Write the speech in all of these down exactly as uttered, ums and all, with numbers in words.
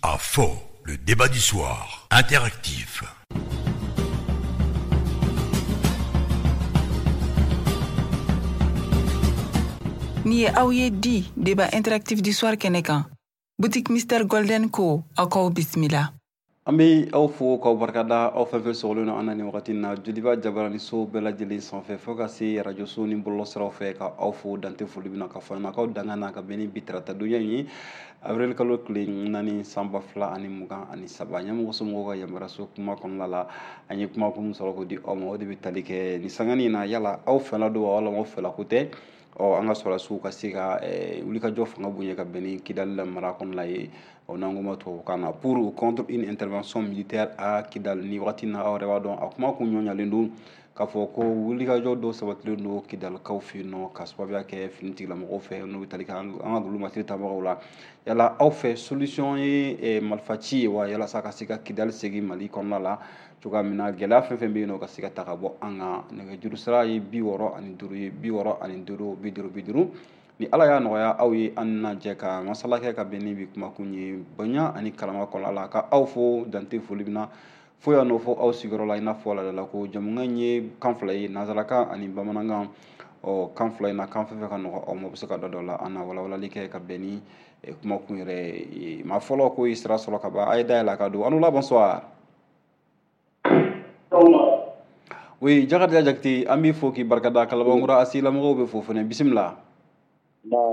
À fond, le débat du soir, interactif. Ni ye aw ye di débat interactif du soir kɛnɛ kan. Boutique Mister Golden ko aw k'aw bisimila. An bɛ aw fo k'aw barikada, aw fɛn fɛn sɔgɔlen don an na nin wagati in na Joliba Jabaraniso bɛɛ lajɛlen sanfɛ fo ka se arajoso ni bɔlɔlɔsiraw fɛ, ka aw fo dante foli min na ka fɔ an na k'aw danga na ka bɛn ni bi tarata donya in ye, avril kalo tile naani san ba fila ani mugan ani saba. Ɲɛmɔgɔ somɔgɔw ka yamaruyaso kuma kɔnɔna la, an ye kuma kun sɔrɔ k'o di aw ma, o de bɛ tali kɛ nin sangani in na. Yala aw fɛla don wa walima aw fɛla ko tɛ? Ɔ an ka sɔrɔdasiw ka se ka wulikajɔ fanga bonya ka bɛn ni Kidali la mara kɔnɔna ye, ɔ n'an ko ma tubabukan na pour ou contre une intervention militaire à Kidal. Ni wagati na aw yɛrɛ b'a dɔn a kuma kun ɲɔɲalen don k'a fɔ ko wulikajɔ dɔw sabatilen don Kidalikaw fɛ yen nɔ ka sababuya kɛ finitigilamɔgɔw fɛ n'u bɛ tali kɛ an ka dolomatiri tabagaw la. Yala aw fɛ solution ye marifaci ye wa, yalasa ka se ka Kidali segin Mali kɔnɔna la cogoya min na gɛlɛya fɛn fɛn bɛ yen nɔ ka se ka ta ka bɔ an kan? Nɛgɛjuru sira ye bi wɔɔrɔ ani duuru ye, bi wɔɔrɔ ani duuru, bi duuru bi duuru. Ni Ala y'a nɔgɔya aw ye, an na jɛ ka masala kɛ ka bɛn ni bi kumakun ye bonya ani karama kɔnɔna la. Ka aw fo dante foli min na fo yan nɔ fo aw sigiyɔrɔ la, i n'a fɔ laadala ko jamukan in ye kan fila ye, nanzarakan ani bamanankan. Ɔ kan fila in na, kan fɛn fɛn ka nɔgɔ aw ma, bɛ se ka dɔ dɔ la an na walawalali kɛ ka bɛn ni kumakun yɛrɛ ye. Maa fɔlɔ ko ye sira sɔrɔ ka ban, a ye dayɛlɛ a ka don. An la, bonsoir. Oui, Jakarija Jakite, an b'i fo k'i barikada. Kalabankura asilamɔgɔw bɛ fo fɛnɛ, bisimila.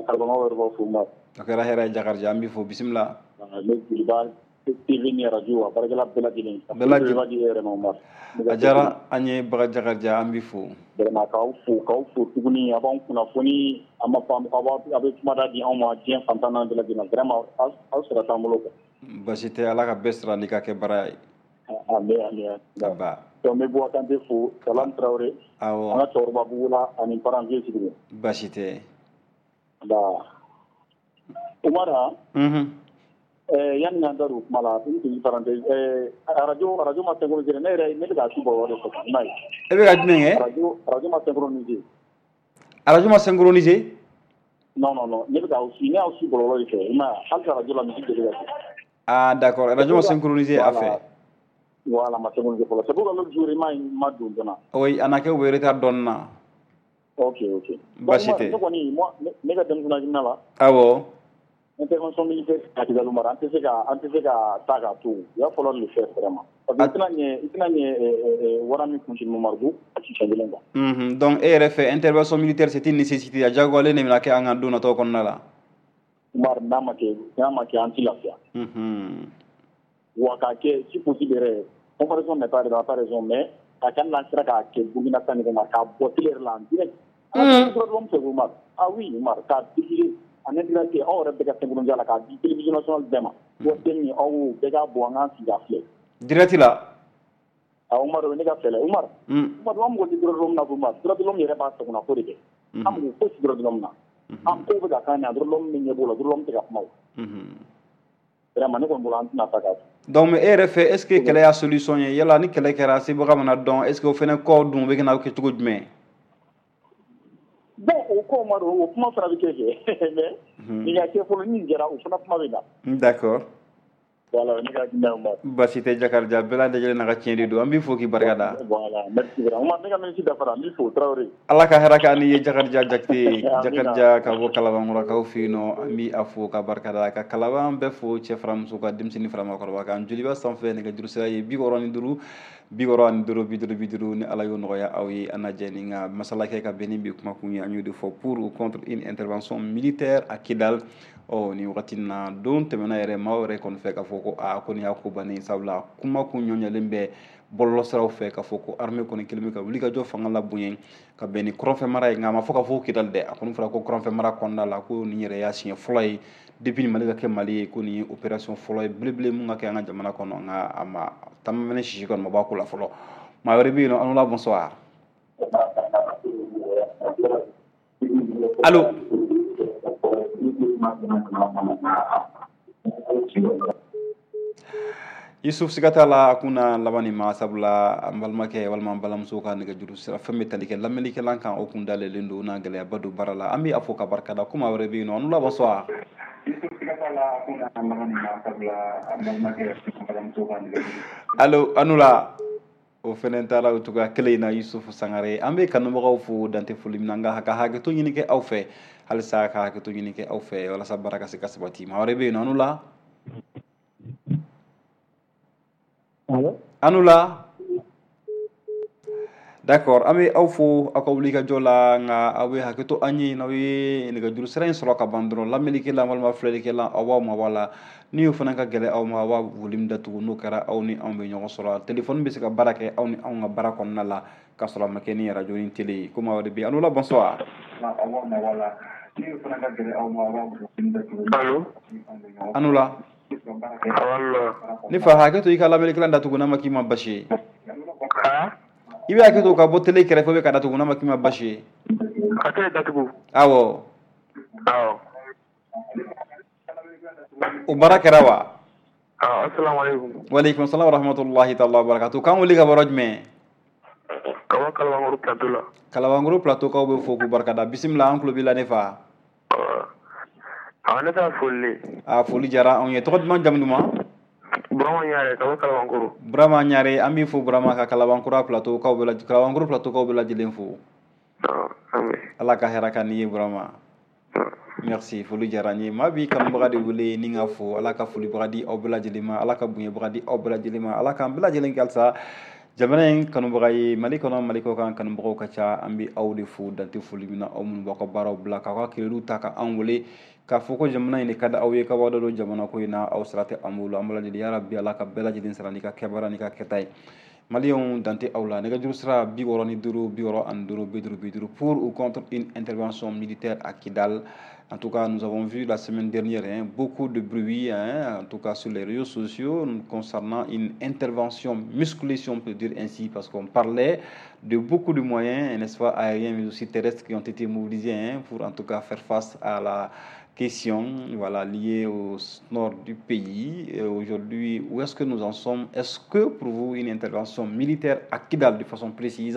Kalabankura yɛrɛ b'aw fo Umar. A kɛra hɛrɛ ye Jakarija, an b'i fo, bisimila. Ne Joliba T V ni radio a baarakɛla bɛɛ lajɛlen. Bɛɛ lajɛlen. Yɛrɛ ma Umar. A diyara an ye Baga Jakarija, an b'i fo. Vraiment k'aw fo k'aw fo tuguni, a b'anw kunnafoni, a ma aw bɛ kumada di anw ma diɲɛ fantan naani bɛɛ lajɛlen. Vraiment aw sara t'an bolo quoi. Basi tɛ, Ala ka bɛɛ sara n'i ka kɛ baara ye. Ami ami. Aba. Donc n bɛ Buwa Kante fo, Salam Traoré. Awɔ. An ka cɛkɔrɔba Bugula ani Paranze Sidibe. Basi tɛ. Nba. Umar. Unhun. Eh yanni an da don kuma la, une petite parenthèse, eh radio radio ma synchroniser, ne yɛrɛ ne bɛ k'a su bɔlɔlɔ de fɛ, i m'a ye. E bɛ ka jumɛn kɛ? Radio radio ma synchroniser. Radio ma synchroniser? Non non non, ne bɛ k'aw su, ne y'aw su bɔlɔlɔ de fɛ, i m'a ye, hali radio la misi deli ka kɛ. Ah d'accord, radio ma synchroniser a fɛ. Voilà, ma synchroniser fɔlɔ. C'est pourquoi l'autre jour i m'a ma don joona. Oui, a na kɛ u bɛ retard dɔɔnin na. Ok ok. Basi tɛ. Ne kɔni moi ne ka denmisɛnnin hakilina la. Awɔ. Intervention militaire à Kidal mara, an tɛ se ka an tɛ se ka taa k'a to. Il va falloir le faire vraiment. Parce que i tɛna ɲɛ i tɛna ɲɛ wara min kun Mamadu a ti fɛn kelen quoi. Mhm. Donc e yɛrɛ fɛ intervention militaire c'est une nécessité, a diyagoyalen de bɛna kɛ an kan don nataw kɔnɔna la. Umar, n'a ma kɛ n'a ma kɛ an ti lafiya. Mhm. Wa k'a kɛ si possible yɛrɛ, comparaison n'est pas pas raison, mais a ka n'an sera k'a kɛ Burkina ta ɲɔgɔn ma k'a bɔ télé yɛrɛ la en direct. An ka droit de l'homme fɛ Umar. Ah oui Umar, k'a diffuser en intégralité, aw yɛrɛ bɛɛ ka synchroniser la k'a di télévision nationale bɛɛ ma. Wa den min aw bɛɛ k'a bɔ an k'an sigi k'a filɛ. Direct la. Ah Umar, o ye ne ka fɛlɛ Umar. Umar, an mago tɛ droit de l'homme na Umar. Droit de l'homme yɛrɛ b'a sagona ko de kɛ. An mago fosi droit de l'homme na. An ko bɛ ka k'an ɲɛ, droit de l'homme min ɲɛ b'o la, droit de l'homme tɛ ka kuma o. Vraiment ne kɔni bolo an tɛna taa k'a to. Donc e yɛrɛ fɛ est ce que kɛlɛ y'a solution ye? Yala ni kɛlɛ kɛra sebaga mana dɔn, est ce que o fɛnɛ kɔ dun bɛ kɛ na kɛ cogo jumɛn? Bon o ko Umar, o kuma fana bɛ kɛ kɛ mais nin ka kɛ fɔlɔ, ni nin kɛra o fana kuma bɛ na. D'accord. Voilà, ne ka hakilina ye Umar. Basi tɛ Jakarija, bɛɛ lajɛlen n'a ka tiɲɛ de don, an b'i fo k'i barika da. Voilà, merci vraiment. Umar, ne ka minute dafara, n b'i fo Traoré. Ala ka hɛrɛ k'an ni ye Jakarija Jakite, Jakarija ka bɔ Kalabankɔrɔkaw fɛ yen nɔ, an b'i a fo ka barika da, ka Kalaban bɛɛ fo, cɛ fara muso kan, denmisɛnnin fara maakɔrɔba kan. Joliba sanfɛ nɛgɛjuru sira ye bi wɔɔrɔ ni duuru, bi wɔɔrɔ ani duuru, bi duuru bi duuru. Ni Ala y'o nɔgɔya aw ye, an na jɛ ni ka masala kɛ ka bɛn ni bi kumakun ye. An y'o de fɔ, pour ou contre une intervention militaire à Kidal. Ɔ nin wagati in na, don tɛmɛna yɛrɛ, maaw yɛrɛ kɔni fɛ k'a fɔ ko aa ko nin y'a ko bannen, sabula kuma kun ɲɔɲɛlen bɛ bɔlɔlɔsiraw fɛ k'a fɔ ko armée kɔni kɛlen bɛ ka wulikajɔ fanga la bonya ka bɛn ni kɔrɔnfɛ mara ye. Nka a ma fɔ k'a fɔ Kidal dɛ, a kɔni fɔra ko kɔrɔnfɛ mara kɔnɔna la ko nin yɛrɛ y'a siɲɛ fɔlɔ ye depuis ni Mali ka kɛ Mali ye, ko nin ye opération fɔlɔ ye belebele mun ka kɛ an ka jamana kɔnɔ. Nka a ma taama sisi kɔni ma bɔ a ko la fɔlɔ. Maa wɛrɛ bɛ yen nɔ, an la, bonsoir. Allo. Yusuf, siga t'a la a kunna laban nin ma, sabula an balimakɛ walima an balimamuso ka nɛgɛjuru sira fɛn bɛ tali kɛ lamɛnnikɛlan kan, o kun dayɛlɛlen don n'a gɛlɛyaba don baara la. An bɛ a fo ka barika da. Ko maa wɛrɛ bɛ yen nɔ, an la, bonsoir. Allo, Anula. O fɛnɛ taara o cogoya kelen in na. Yusufu Sangare, an bɛ kanubagaw fo dante foli min na, nka ka hakɛto ɲini kɛ aw fɛ halisa, ka hakɛto ɲini kɛ aw fɛ walasa baara ka se ka sabati. Maa wɛrɛ bɛ yen nɔ? Anula, Anula. D'accord, an bɛ aw fo aw ka wuli ka jɔ la, nka aw bɛ hakɛto an ye n'aw ye nɛgɛjuru sira in sɔrɔ ka ban dɔrɔn, lamɛnnikɛla walima filɛlikɛla, aw b'aw mabɔ a la. Ni o fana ka gɛlɛn aw ma, aw b'a volume datugu. N'o kɛra, aw ni anw bɛ ɲɔgɔn sɔrɔ. Téléphone bɛ se ka baara kɛ aw ni anw ka baara kɔnɔna la k'a sɔrɔ a ma kɛ ni radio ni télé ye. Ko maa wɛrɛ bɛ yen? Anula, bonsoir. Aw b'aw mabɔ a la. Ni o fana ka gɛlɛn aw ma, aw b'a volume datugu. Allo. Anula. Ne fa, hakɛ to i ka lamɛnnikɛla datugu n'a ma k'i ma basi ye. I bɛ hakɛ to ka bɔ télé kɛrɛfɛ bɛ ka datugu n'a ma k'i ma basi ye. Ka télé datugu. Awɔ. Awɔ. O baara kɛra wa? Asalaamaaleykum. Waaleykum salaam wa rahmatulahi taala wa barakatu. K'an wele ka bɔ yɔrɔ jumɛn? Ka bɔ Kalabankɔrɔ plateau la. Kalabankɔrɔ plateau kaw bɛ fo k'u barikada. Bisimila, an tulo b'i la ne fa. A ne ta foli. A foli diyara anw ye. Tɔgɔ duman, jamu duman? Burama Ɲare ka bɔ Kalabankɔrɔ. Burama Ɲare, an b'i fo Burama, ka Kalabankɔrɔ plateau kaw bɛɛ lajɛlen, Kalabankɔrɔ plateau kaw bɛɛ lajɛlen fo. Ala ka hɛrɛ ka n'i ye Burama. Merci, foli diyara n ye. Maa b'i kanubaga de wele ni ka fo. Ala ka folibaga di aw bɛɛ lajɛlen ma, Ala ka bonyabaga di aw bɛɛ lajɛlen ma, Ala k'an bɛɛ lajɛlen kɛ halisa jamana in kanubaga ye. Mali kɔnɔ, Mali kɔ kan, kanubagaw ka ca. An bɛ aw de fo dante foli min na, aw minnu b'aw ka baaraw bila k'aw ka kilew ta ka an wele k'a fɔ ko jamana in de ka di aw ye, k'aw b'aw da don jamana ko in na. Aw sara tɛ an bolo. An b'a lajɛ, yarabi Ala ka bɛɛ lajɛlen sara n'i ka kɛbaara n'i ka kɛta ye. Maliyɛnw, dante aw la. Nɛgɛjuru sira bi wɔɔrɔ ni duuru bi wɔɔrɔ ani duuru bi duuru bi duuru. Pour ou contre une intervention militaire à Kidal? En tout cas, nous avons vu la semaine dernière, hein, beaucoup de bruit, hein, en tout cas sur les réseaux sociaux, concernant une intervention musclée, si on peut dire ainsi, parce qu'on parlait de beaucoup de moyens, n'est-ce pas, aériens, mais aussi terrestres, qui ont été mobilisés, hein, pour en tout cas faire face à la question, voilà, liée au nord du pays. Aujourd'hui, où est-ce que nous en sommes? Est-ce que pour vous, une intervention militaire à Kidal, de façon précise,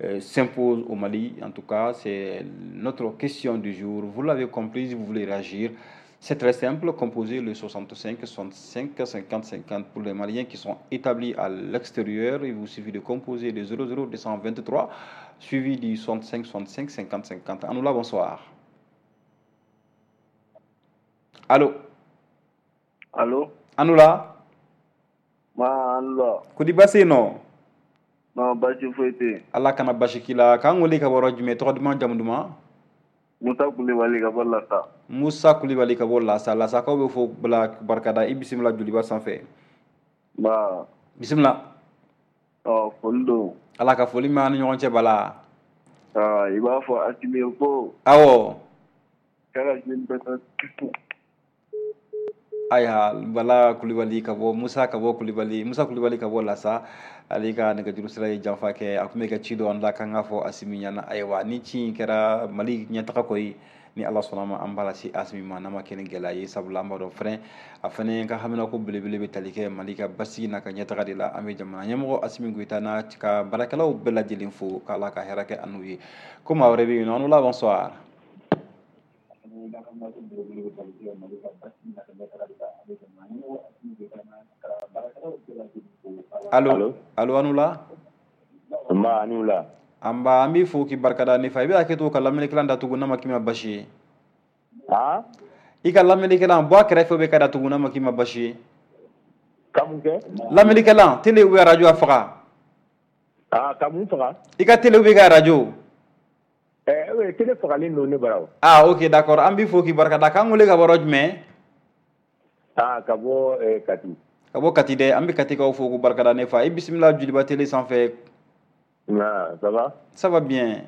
euh, s'impose au Mali? En tout cas, c'est notre question du jour. Vous l'avez compris, si vous voulez réagir, c'est très simple. Composez le soixante-cinq soixante-cinq cinquante cinquante. Pour les Maliens qui sont établis à l'extérieur, il vous suffit de composer le zéro zéro deux cent vingt-trois suivi du soixante-cinq soixante-cinq cinquante cinquante. Anoula, bonsoir. Allô? Allô? Anoula. Ma Anoula. Kodi basi no? Non, basi foyi tɛ yen. Ala kana basi k'i la. K'an wele ka bɔ yɔrɔ jumɛn? Tɔgɔ duman, jamu duman? Musa Kulibali ka bɔ Lasa. Musa Kulibali ka bɔ Lasa. Lasakaw bɛ fo bila barikada. I bisimila Joliba sanfɛ. Ba. Bisimila. Ɔ, foli don. Ala ka foli mɛn an ni ɲɔgɔn cɛ bala. Aa, i b'a fɔ Asimi ye ko. Awɔ. K'a ka jeune bɛɛ Ayiwa, Bala Kulibali ka bɔ, Musa ka bɔ Kulibali, Musa Kulibali ka bɔ Lasa, ale ka nɛgɛjuru sira ye janfa kɛ. A tun bɛ ka ci dɔ an la k'an k'a fɔ Asimi ɲɛna. Ayiwa, ni ci in kɛra Mali ɲɛtaga ko ye, ni Ala sɔnna ma, an b'a lase Asimi ma n'a ma kɛ ni gɛlɛya ye, sabula an b'a dɔn fɛnɛ a fɛnɛ ka haminako belebele bɛ tali kɛ Mali ka basigi n'a ka ɲɛtaga de la. An bɛ jamana ɲɛmɔgɔ Asimi Goyita n'a ka baarakɛlaw bɛɛ lajɛlen fo k'Ala ka hɛrɛ kɛ an n'u ye. Ko maa wɛrɛ bɛ yen nɔ? An bonsoir. Allo, allo, Anula. Nba, Anula. An ba, an b'i fo k'i barikada ne fa. I bɛ hakɛ to ka lamɛnnikɛla datugu n'a ma k'i ma basi ye. Han? I ka lamɛnnikɛla bɔ a kɛrɛfɛ bɛ ka datugu n'a ma k'i ma basi ye. Ka mun kɛ? Lamɛnnikɛla, télé ou radio a faga. Ah, ka mun faga? I ka télé ou i ka radio. Eh, télé fagalen don ne bara o. Ah, ok, d'accord. An b'i fo k'i barikada. K'an wele ka bɔ yɔrɔ jumɛn? Ah, ka bɔ eh, Kati. Ka bɔ Kati dɛ. An bɛ Katikaw fo k'u barikada ne fa. I bisimila Joliba télé sanfɛ. Ah, ça va? Ça va bien.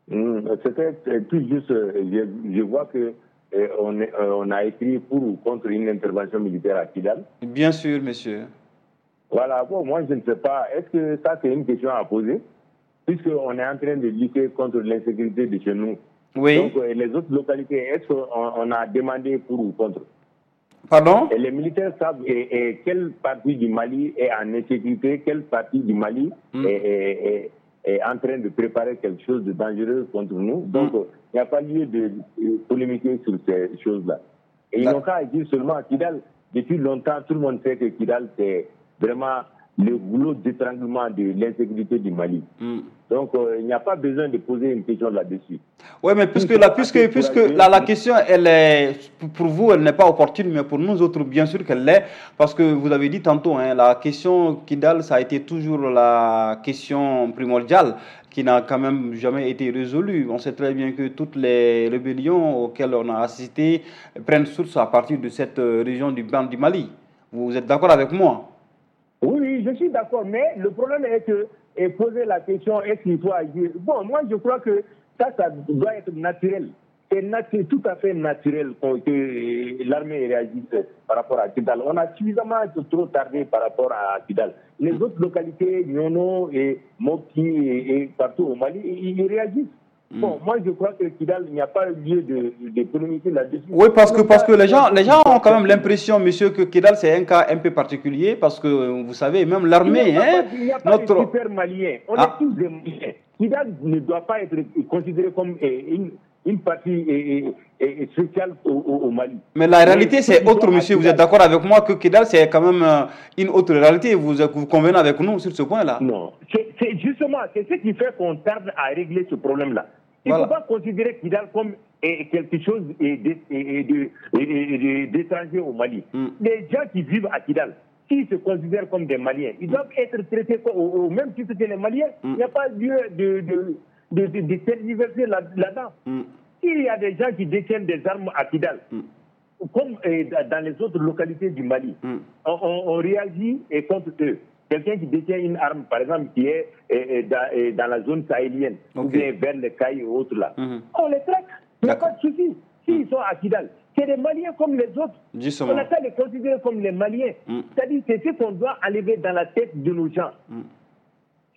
Mmh, c'était tout juste, je, je vois que eh, on, est, on a écrit pour ou contre une intervention militaire à Kidal. Bien sûr, monsieur. Voilà, bon, moi je ne sais pas, est-ce que ça c'est une question à poser? Puisqu'on est en train de lutter contre l'insécurité de chez nous. Oui. Donc les autres localités, est-ce qu'on on a demandé pour ou contre? Pardon? Et les militaires savent et, et quelle partie du Mali est en insécurité, quelle partie du Mali mm. est, est, est, est en train de préparer quelque chose de dangereux contre nous. Donc, il mm. n'y a pas lieu de polémiquer sur ces choses-là. Et ils n'ont qu'à agir seulement à Kidal. Depuis longtemps, tout le monde sait que Kidal, c'est vraiment le goulot d'étranglement de l'insécurité du Mali. Mm. Donc, euh, il n'y a pas besoin de poser une question là-dessus. Oui, mais puisque, la, puisque, puisque la, la question, elle est, pour vous, elle n'est pas opportune, mais pour nous autres, bien sûr qu'elle l'est, parce que vous avez dit tantôt, hein, la question Kidal, ça a été toujours la question primordiale qui n'a quand même jamais été résolue. On sait très bien que toutes les rébellions auxquelles on a assisté prennent source à partir de cette région du Ban du Mali. Vous êtes d'accord avec moi? Oui, oui, je suis d'accord, mais le problème est que et poser la question, est-ce qu'il faut agir? Bon, moi, je crois que ça, ça doit être naturel. C'est natu- tout à fait naturel que l'armée réagisse par rapport à Kidal. On a suffisamment trop tardé par rapport à Kidal. Les autres localités, Niono et Mopti et, et partout au Mali, ils, ils réagissent. Bon, moi, je crois que Kidal, il n'y a pas lieu de, de polémiquer là-dessus. Oui, parce que, parce que les gens, les gens ont quand même l'impression, monsieur, que Kidal, c'est un cas un peu particulier, parce que, vous savez, même l'armée... Il n'y a, hein, pas, il n'y a pas notre... de super Maliens. On ah. est tous des Maliens. Kidal ne doit pas être considéré comme une, une partie spéciale au, au, au Mali. Mais la réalité, c'est autre, monsieur. Vous êtes d'accord avec moi que Kidal, c'est quand même une autre réalité. Vous, vous convenez avec nous sur ce point-là? Non. C'est, c'est justement, c'est ce qui fait qu'on tarde à régler ce problème-là. Il ne voilà. faut pas considérer Kidal comme quelque chose d'étranger au Mali. Mm. Les gens qui vivent à Kidal, s'ils se considèrent comme des Maliens, ils mm. doivent être traités au, au même titre que les Maliens. Mm. Il n'y a pas lieu de, de, de, de, de tergiverser là-dedans. Mm. S'il y a des gens qui détiennent des armes à Kidal, mm. comme dans les autres localités du Mali, mm. on, on, on réagit et contre eux. Quelqu'un qui détient une arme, par exemple, qui est, est, est, dans, est dans la zone sahélienne, okay. ou bien vers les Cailles et autres là, mm-hmm. on les traque, il n'y a pas de souci. S'ils mm. sont à Kidal, c'est des Maliens comme les autres. Justement. On n'a qu'à les considérer comme les Maliens. Mm. C'est-à-dire que c'est ce qu'on doit enlever dans la tête de nos gens. Mm.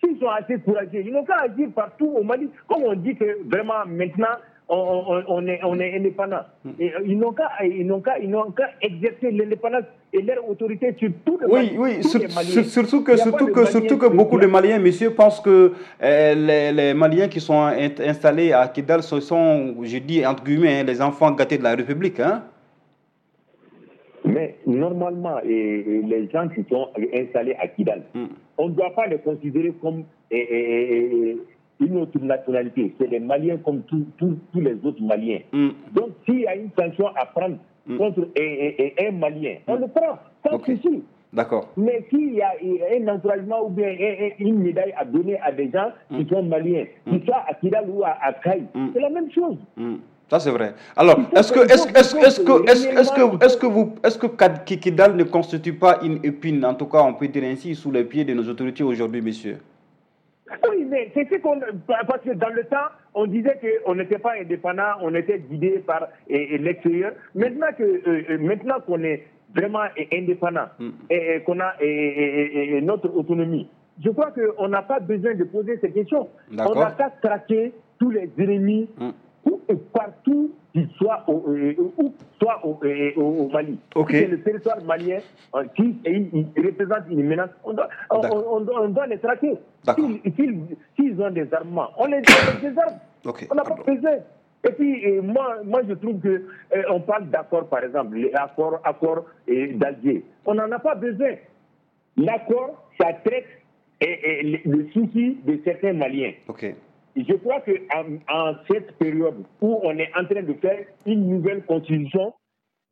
S'ils sont assez courageux, ils n'ont qu'à agir partout au Mali. Comme on dit que vraiment maintenant, on, on, on, est, on est indépendant. Et ils n'ont qu'à, ils n'ont qu'à, ils n'ont qu'à exercer l'indépendance et leur autorité sur tout le Oui, Mali, oui, tous sur, les Maliens. Surtout que, surtout que, surtout que beaucoup de Maliens, messieurs, pensent que euh, les, les Maliens qui sont installés à Kidal, ce sont, je dis entre guillemets, hein, les enfants gâtés de la République. Hein. Mais normalement, et, et les gens qui sont installés à Kidal, mm. on ne doit pas les considérer comme... Et, et, et, une autre nationalité, c'est les Maliens comme tous, tous, tous les autres Maliens. Mm. Donc, s'il y a une sanction à prendre mm. contre un, un, un Malien, on mm. le prend, sans okay. souci. D'accord. Mais s'il y a un encouragement ou bien une médaille à donner à des gens mm. qui sont Maliens, mm. qu'ils soient à Kidal ou à, à Kayes, mm. c'est la même chose. Mm. Ça, c'est vrai. Alors, est-ce que, est-ce, est-ce, est-ce que, est-ce, est-ce que, est-ce que vous, est-ce que Kidal ne constitue pas une épine, en tout cas, on peut dire ainsi, sous les pieds de nos autorités aujourd'hui, messieurs? Oui, mais c'est ce qu'on... Parce que dans le temps, on disait qu'on n'était pas indépendant, on était guidé par et, et l'extérieur. Maintenant que, euh, maintenant qu'on est vraiment indépendant mm. et, et qu'on a et, et, et notre autonomie, je crois qu'on n'a pas besoin de poser ces questions. D'accord. On n'a qu'à traquer tous les ennemis mm. où et partout qu'ils soient au, où, soit au, au, au Mali. Okay. C'est le territoire malien qui il, il représente une menace. On doit, on, on, on doit les traquer. S'ils, s'ils, s'ils ont des armements, on les, on les désarme. Okay. On n'a pas besoin. Et puis, et moi, moi, je trouve qu'on eh, parle d'accord, par exemple, l'accord accord, eh, d'Alger. On n'en a pas besoin. L'accord, ça traite eh, eh, le souci de certains Maliens. Okay. Je crois qu'en en cette période où on est en train de faire une nouvelle constitution,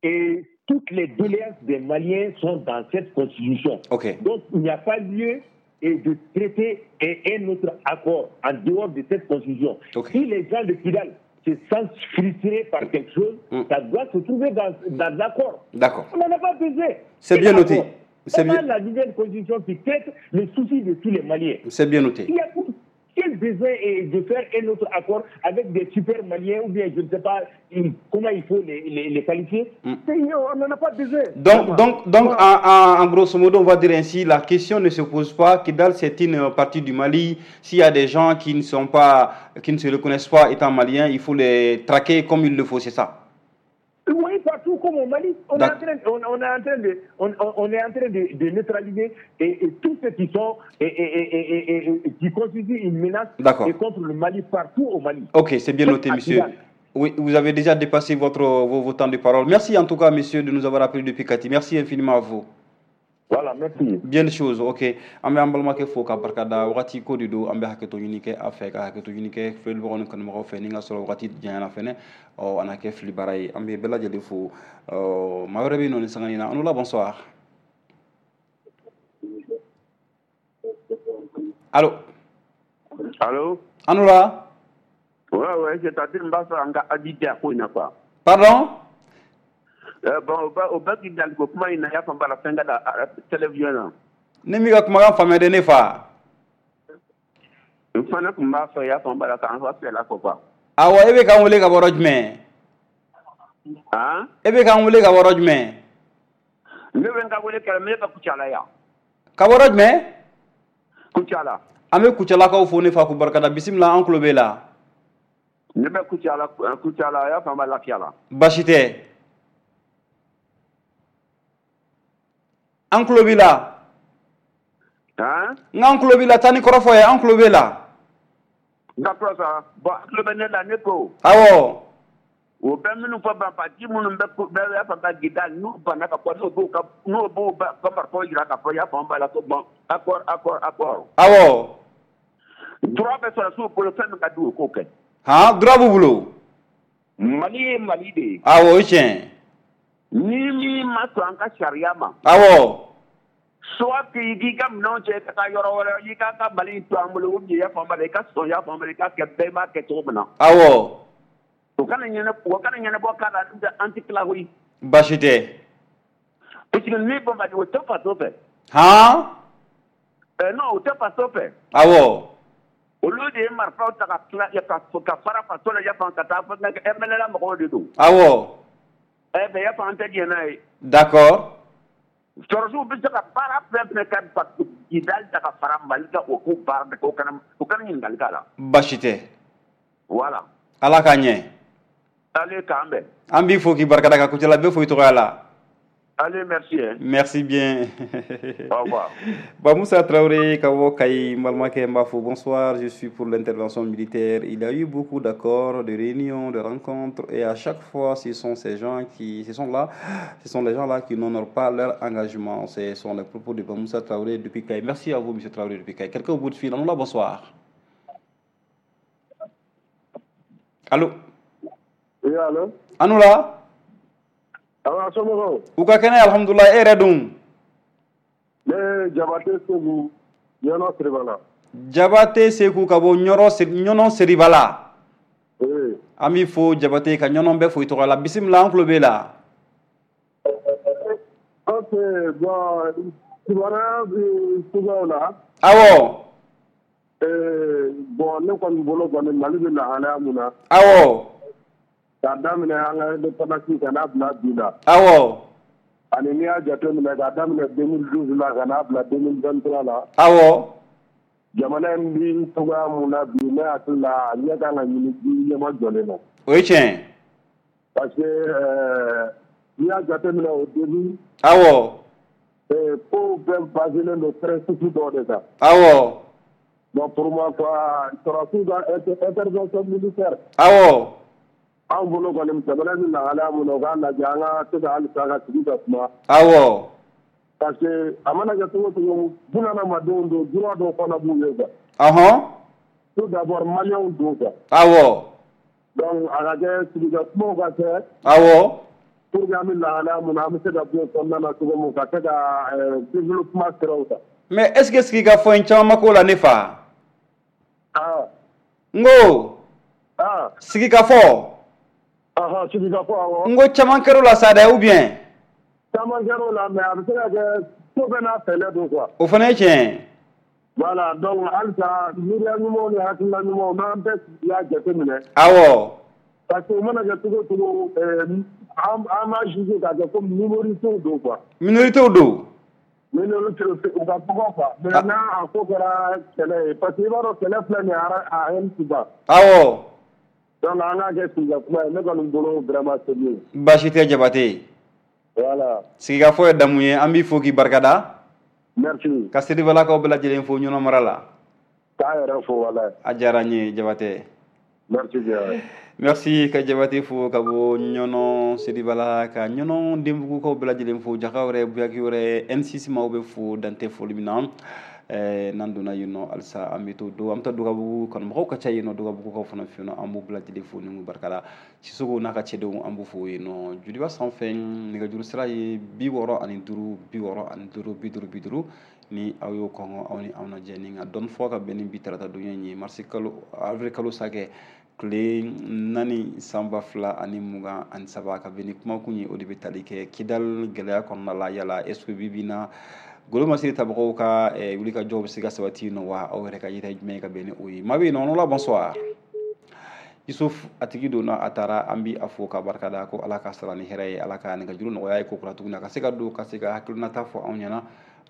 et toutes les doléances des Maliens sont dans cette constitution. Okay. Donc, il n'y a pas lieu et de traiter un autre accord en dehors de cette constitution. Okay. Si les gens de Kidal se sentent frustrés par quelque chose, mm. ça doit se trouver dans, dans l'accord. D'accord. On n'en a pas besoin. C'est bien noté. C'est bien... la nouvelle constitution qui traite le souci de tous les Maliens. C'est bien noté. Il y a quel besoin est de faire un autre accord avec des super Maliens ou bien je ne sais pas comment il faut les, les, les qualifier. Mm. On n'en a pas besoin. Donc, donc, donc en, en, en grosso modo, on va dire ainsi, la question ne se pose pas. Kidal, c'est une partie du Mali. S'il y a des gens qui ne sont pas, qui ne se reconnaissent pas étant maliens, il faut les traquer comme il le faut, c'est ça? Oui, partout comme au Mali, on est en train, on, on est en train de, on, on est en train de, de neutraliser et, et tous ceux qui sont et, et, et, et, et qui constituent une menace et contre le Mali partout au Mali. Ok, c'est bien noté, monsieur. Oui, vous avez déjà dépassé votre, vos, vos temps de parole. Merci en tout cas, monsieur, de nous avoir appelé depuis Kati. Merci infiniment à vous. Voilà, merci. Bien de choses, ok. An bɛ an balimakɛ fo ka barika da. Wagati ko de don, an bɛ hakɛto ɲini kɛ a fɛ, ka hakɛto ɲini kɛ filɛlibagaw ni kanubagaw fɛ. Ni ka sɔrɔ wagati janyana fɛnɛ, ɔ a na kɛ fili baara ye. An bɛ bɛɛ lajɛlen fo. Ɔ maa wɛrɛ bɛ yen nɔ nin sanga in na. An la, bonsoir. Allo? Allo? An la. Ouais, ouais, c'est-à-dire n b'a fɛ an ka avis di a ko in na quoi. Pardon? Euh, bon, o bɛ o bɛ Kidali ko kuma in na, i y'a faamu b'a la, fɛn ka da télévision na. Ne m'i ka kumakan faamuya dɛ, ne fa. N fana tun b'a fɛ, i y'a faamu b'a la, k'an fa fɛla fɔ quoi. Awɔ, e bɛ k'an wele ka bɔ yɔrɔ jumɛn? Han? E bɛ k'an wele ka bɔ yɔrɔ jumɛn? Ne bɛ n ka wele kɛ, ne bɛ Kucala yan. Ka bɔ yɔrɔ jumɛn? Kucala. An bɛ Kucalakaw fo, ne fa, k'u barikada. Bisimila, an tulo b'e la. Ne bɛ Kucala, Kucala, i y'a faamu, lafiya la. Baasi tɛ. An tulo b'i la. Han? N k'an tulo b'i la, taa ni kɔrɔfɔ ye, an tulo b'e la. D'accord ça. Bon, an tulo bɛ ne la, ne ko. Awɔ. O bɛ minnu fɔ, banbaaci minnu bɛ bɛ y'a faamu ka Kidali, n'u banna ka bɔ, n'u b'u ka n'u b'u ka marifaw jira k'a fɔ, i y'a faamu b'a la, ko bon, accord, accord, accord. Awɔ. Droit bɛ sɔrɔdasiw bolo, fɛn min ka di u ye, k'o kɛ. Han, droit b'u bolo. Mali ye Mali de ye. Awɔ, o ye tiɲɛ. Ni min ma sɔn an ka sariya ma. Awɔ. Soit que i k'i ka minɛnw cɛ ka taa yɔrɔ wɛrɛ, i k'a ka Mali to an bolo, ou bien i y'a faamu b'a la, i ka sɔn, i y'a faamu b'a la, i k'a kɛ bɛɛ b'a kɛ cogo min na. Awɔ. O kana ɲɛnabɔ, o kana ɲɛnabɔ k'a la, an tɛ tila koyi. Baasi tɛ. Parce que ni banbaaci, o tɛ faso fɛ. Han? Euh, non, o tɛ faso fɛ. Awɔ. Olu de ye marifaw ta ka tila ka ka fara faso la, i y'a faamu, ka taa fɔ M N L A mɔgɔw de don. Awɔ. Eh ben, i y'a faamu, an tɛ diɲɛ n'a ye. D'accord. Sɔrɔdasiw bɛ se ka baara fɛn fɛn kɛ Kidali ta ka fara Mali kan, o k'o baara bɛɛ kɛ, o kana o kana ɲininkali k'a la. Baasi tɛ. Voilà. Ala k'a ɲɛ. Allez, k'an bɛn. An b'i fo k'i barikada, ka Kucala bɛɛ fo i tɔgɔya la. Allez, merci. Hein. Merci bien. Au revoir. Bah, Moussa Traoré, Kawo Kayi, Malmake Mbafo, bonsoir. Je suis pour l'intervention militaire. Il y a eu beaucoup d'accords, de réunions, de rencontres, et à chaque fois, ce sont ces gens qui, ce sont là, ce sont les gens là qui n'honorent pas leur engagement. Ce sont les propos de Moussa Traoré depuis Kayi. Merci à vous, monsieur Traoré depuis Kayi. Quelqu'un au bout de fil. Allons là, bonsoir. Allô? Oui, allô? Allô là? Awa, somɔgɔw? U ka kɛnɛ, alhamdulilah. E yɛrɛ dun? Ne ye Jabate Seku, Ɲɔnɔ Siribala. Jabate Seku ka bɔ Ɲɔrɔ, Ɲɔnɔ Siribala. Oui. An b'i fo Jabate, ka Ɲɔnɔ bɛɛ fo i tɔgɔ la. Bisimila, an tulo b'e la. Ok, bon, kibaruya bɛ cogoyaw la. Awɔ. Euh, bon, ne kɔni bolo kɔni, Mali bɛ lahalaya mun na. Awɔ. K'a daminɛ an ka indépendance ka n'a bila bi la. Awɔ. Ani n'i y'a jateminɛ k'a daminɛ deux mille douze la ka n'a bila deux mille vingt-trois la. Awɔ. Jamana in bi cogoya mun na bi, ne hakili la, a ɲɛ kan ka ɲini bi ɲɛma jɔlen na. O ye tiɲɛ. Parce que euh, n'i y'a jateminɛ au début. Awɔ. Euh, kow bɛɛ baselen don principe dɔw de kan. Awɔ. Bon, pour moi quoi, sɔrɔdasiw ka intervention militaire. Awɔ. Anw bolo kɔni, jamana bɛ lahalaya mun na, u k'a lajɛ an ka se ka halisa ka sigi ka kuma. Awɔ. Parce que a mana kɛ cogo o cogo, bunadamadenw don, droit dɔw fana b'u ye quoi. Ɔhɔn. Tout d'abord, maliyɛnw don quoi. Awɔ. Donc a ka kɛ sigi ka kumaw ka kɛ. Awɔ. Pour que an bɛ lahalaya mun na, an bɛ se ka bɔ o kɔnɔna na cogo min, ka se ka développement siraw ta. Mais est ce que sigi ka fɔ in caman ma k'o la, ne fa? Ah. N ko. Ah. Sigi ka fɔ. Awɔ. N ko caman kɛr'o la sa dɛ, ou bien? Caman kɛr'o la, mais a bɛ se ka kɛ ko bɛɛ n'a fɛɛrɛ don quoi. O fana ye tiɲɛ ye. Voilà, donc halisa miiriya ɲumanw ni hakilina ɲumanw, n'an bɛɛ y'a jateminɛ. Awɔ. Parce que o mana kɛ cogo o cogo, an an b'a juger k'a kɛ komi minorités don quoi. Minorités don. Minorités u ka dɔgɔ quoi. Mais n'a a ko kɛra kɛlɛ ye, parce que i b'a dɔn kɛlɛ filɛ nin ye, a haine ti ban. Awɔ. Donc an k'a kɛ sigikafɔ ye, ne kɔni bolo vraiment c'est mieux. Baasi tɛ Jabate. Voilà. Sigikafɔ ye damu ye, an b'i fo k'i barikada. Merci. Ka Siribalakaw bɛɛ lajɛlen fo Ɲɔnɔ mara la. K'a yɛrɛ fo walayi. A diyara n ye Jabate. Merci bien. Merci ka Jabate fo ka bɔ Ɲɔnɔ Seribala, ka Ɲɔnɔ Denbugukaw bɛɛ lajɛlen fo, Jaka wɛrɛ, Buyaki wɛrɛ, N six maaw bɛ fo dantɛ foli min na. eh, n'an donna yen nɔ halisa, an bɛ to do, an bɛ taa Dogabugu, kanumɔgɔw ka ca yen nɔ, Dogabugukaw fana fɛ yen nɔ, an b'u bɛɛ lajɛlen fo ni barika la. Sisoko n'a ka cɛdenw, an b'u fo yen nɔ. Joliba sanfɛ, nɛgɛjuru sira ye bi wɔɔrɔ ani duuru, bi wɔɔrɔ ani duuru, bi duuru, bi duuru. Ni aw y'o kɔngɔ, aw ni anw lajɛ ni ka dɔɔni fɔ ka bɛn ni bi tarata donya in ye, marisi kalo, avril kalo sakɛ tile naani, san ba fila ani mugan ani saba, ka bɛn ni kumakun ye, o de bɛ tali kɛ Kidal gɛlɛya kɔnɔna la. Yala est ce que bi bi in na, golo masiri tabagaw ka eh, wulikajɔw bɛ se ka sabati nɔ wa? Aw yɛrɛ ka yeta ye jumɛn ye ka bɛn ni o ye? Maa bɛ yen nɔ la. Bonsoir Yusuf, a tigi donna, a taara. An bi a fo ka barika da ko Ala ka sara ni hɛrɛ ye, Ala ka nɛgɛjuru nɔgɔya ye ko kura tuguni, a ka se ka don ka se ka hakilinata fɔ anw ɲɛna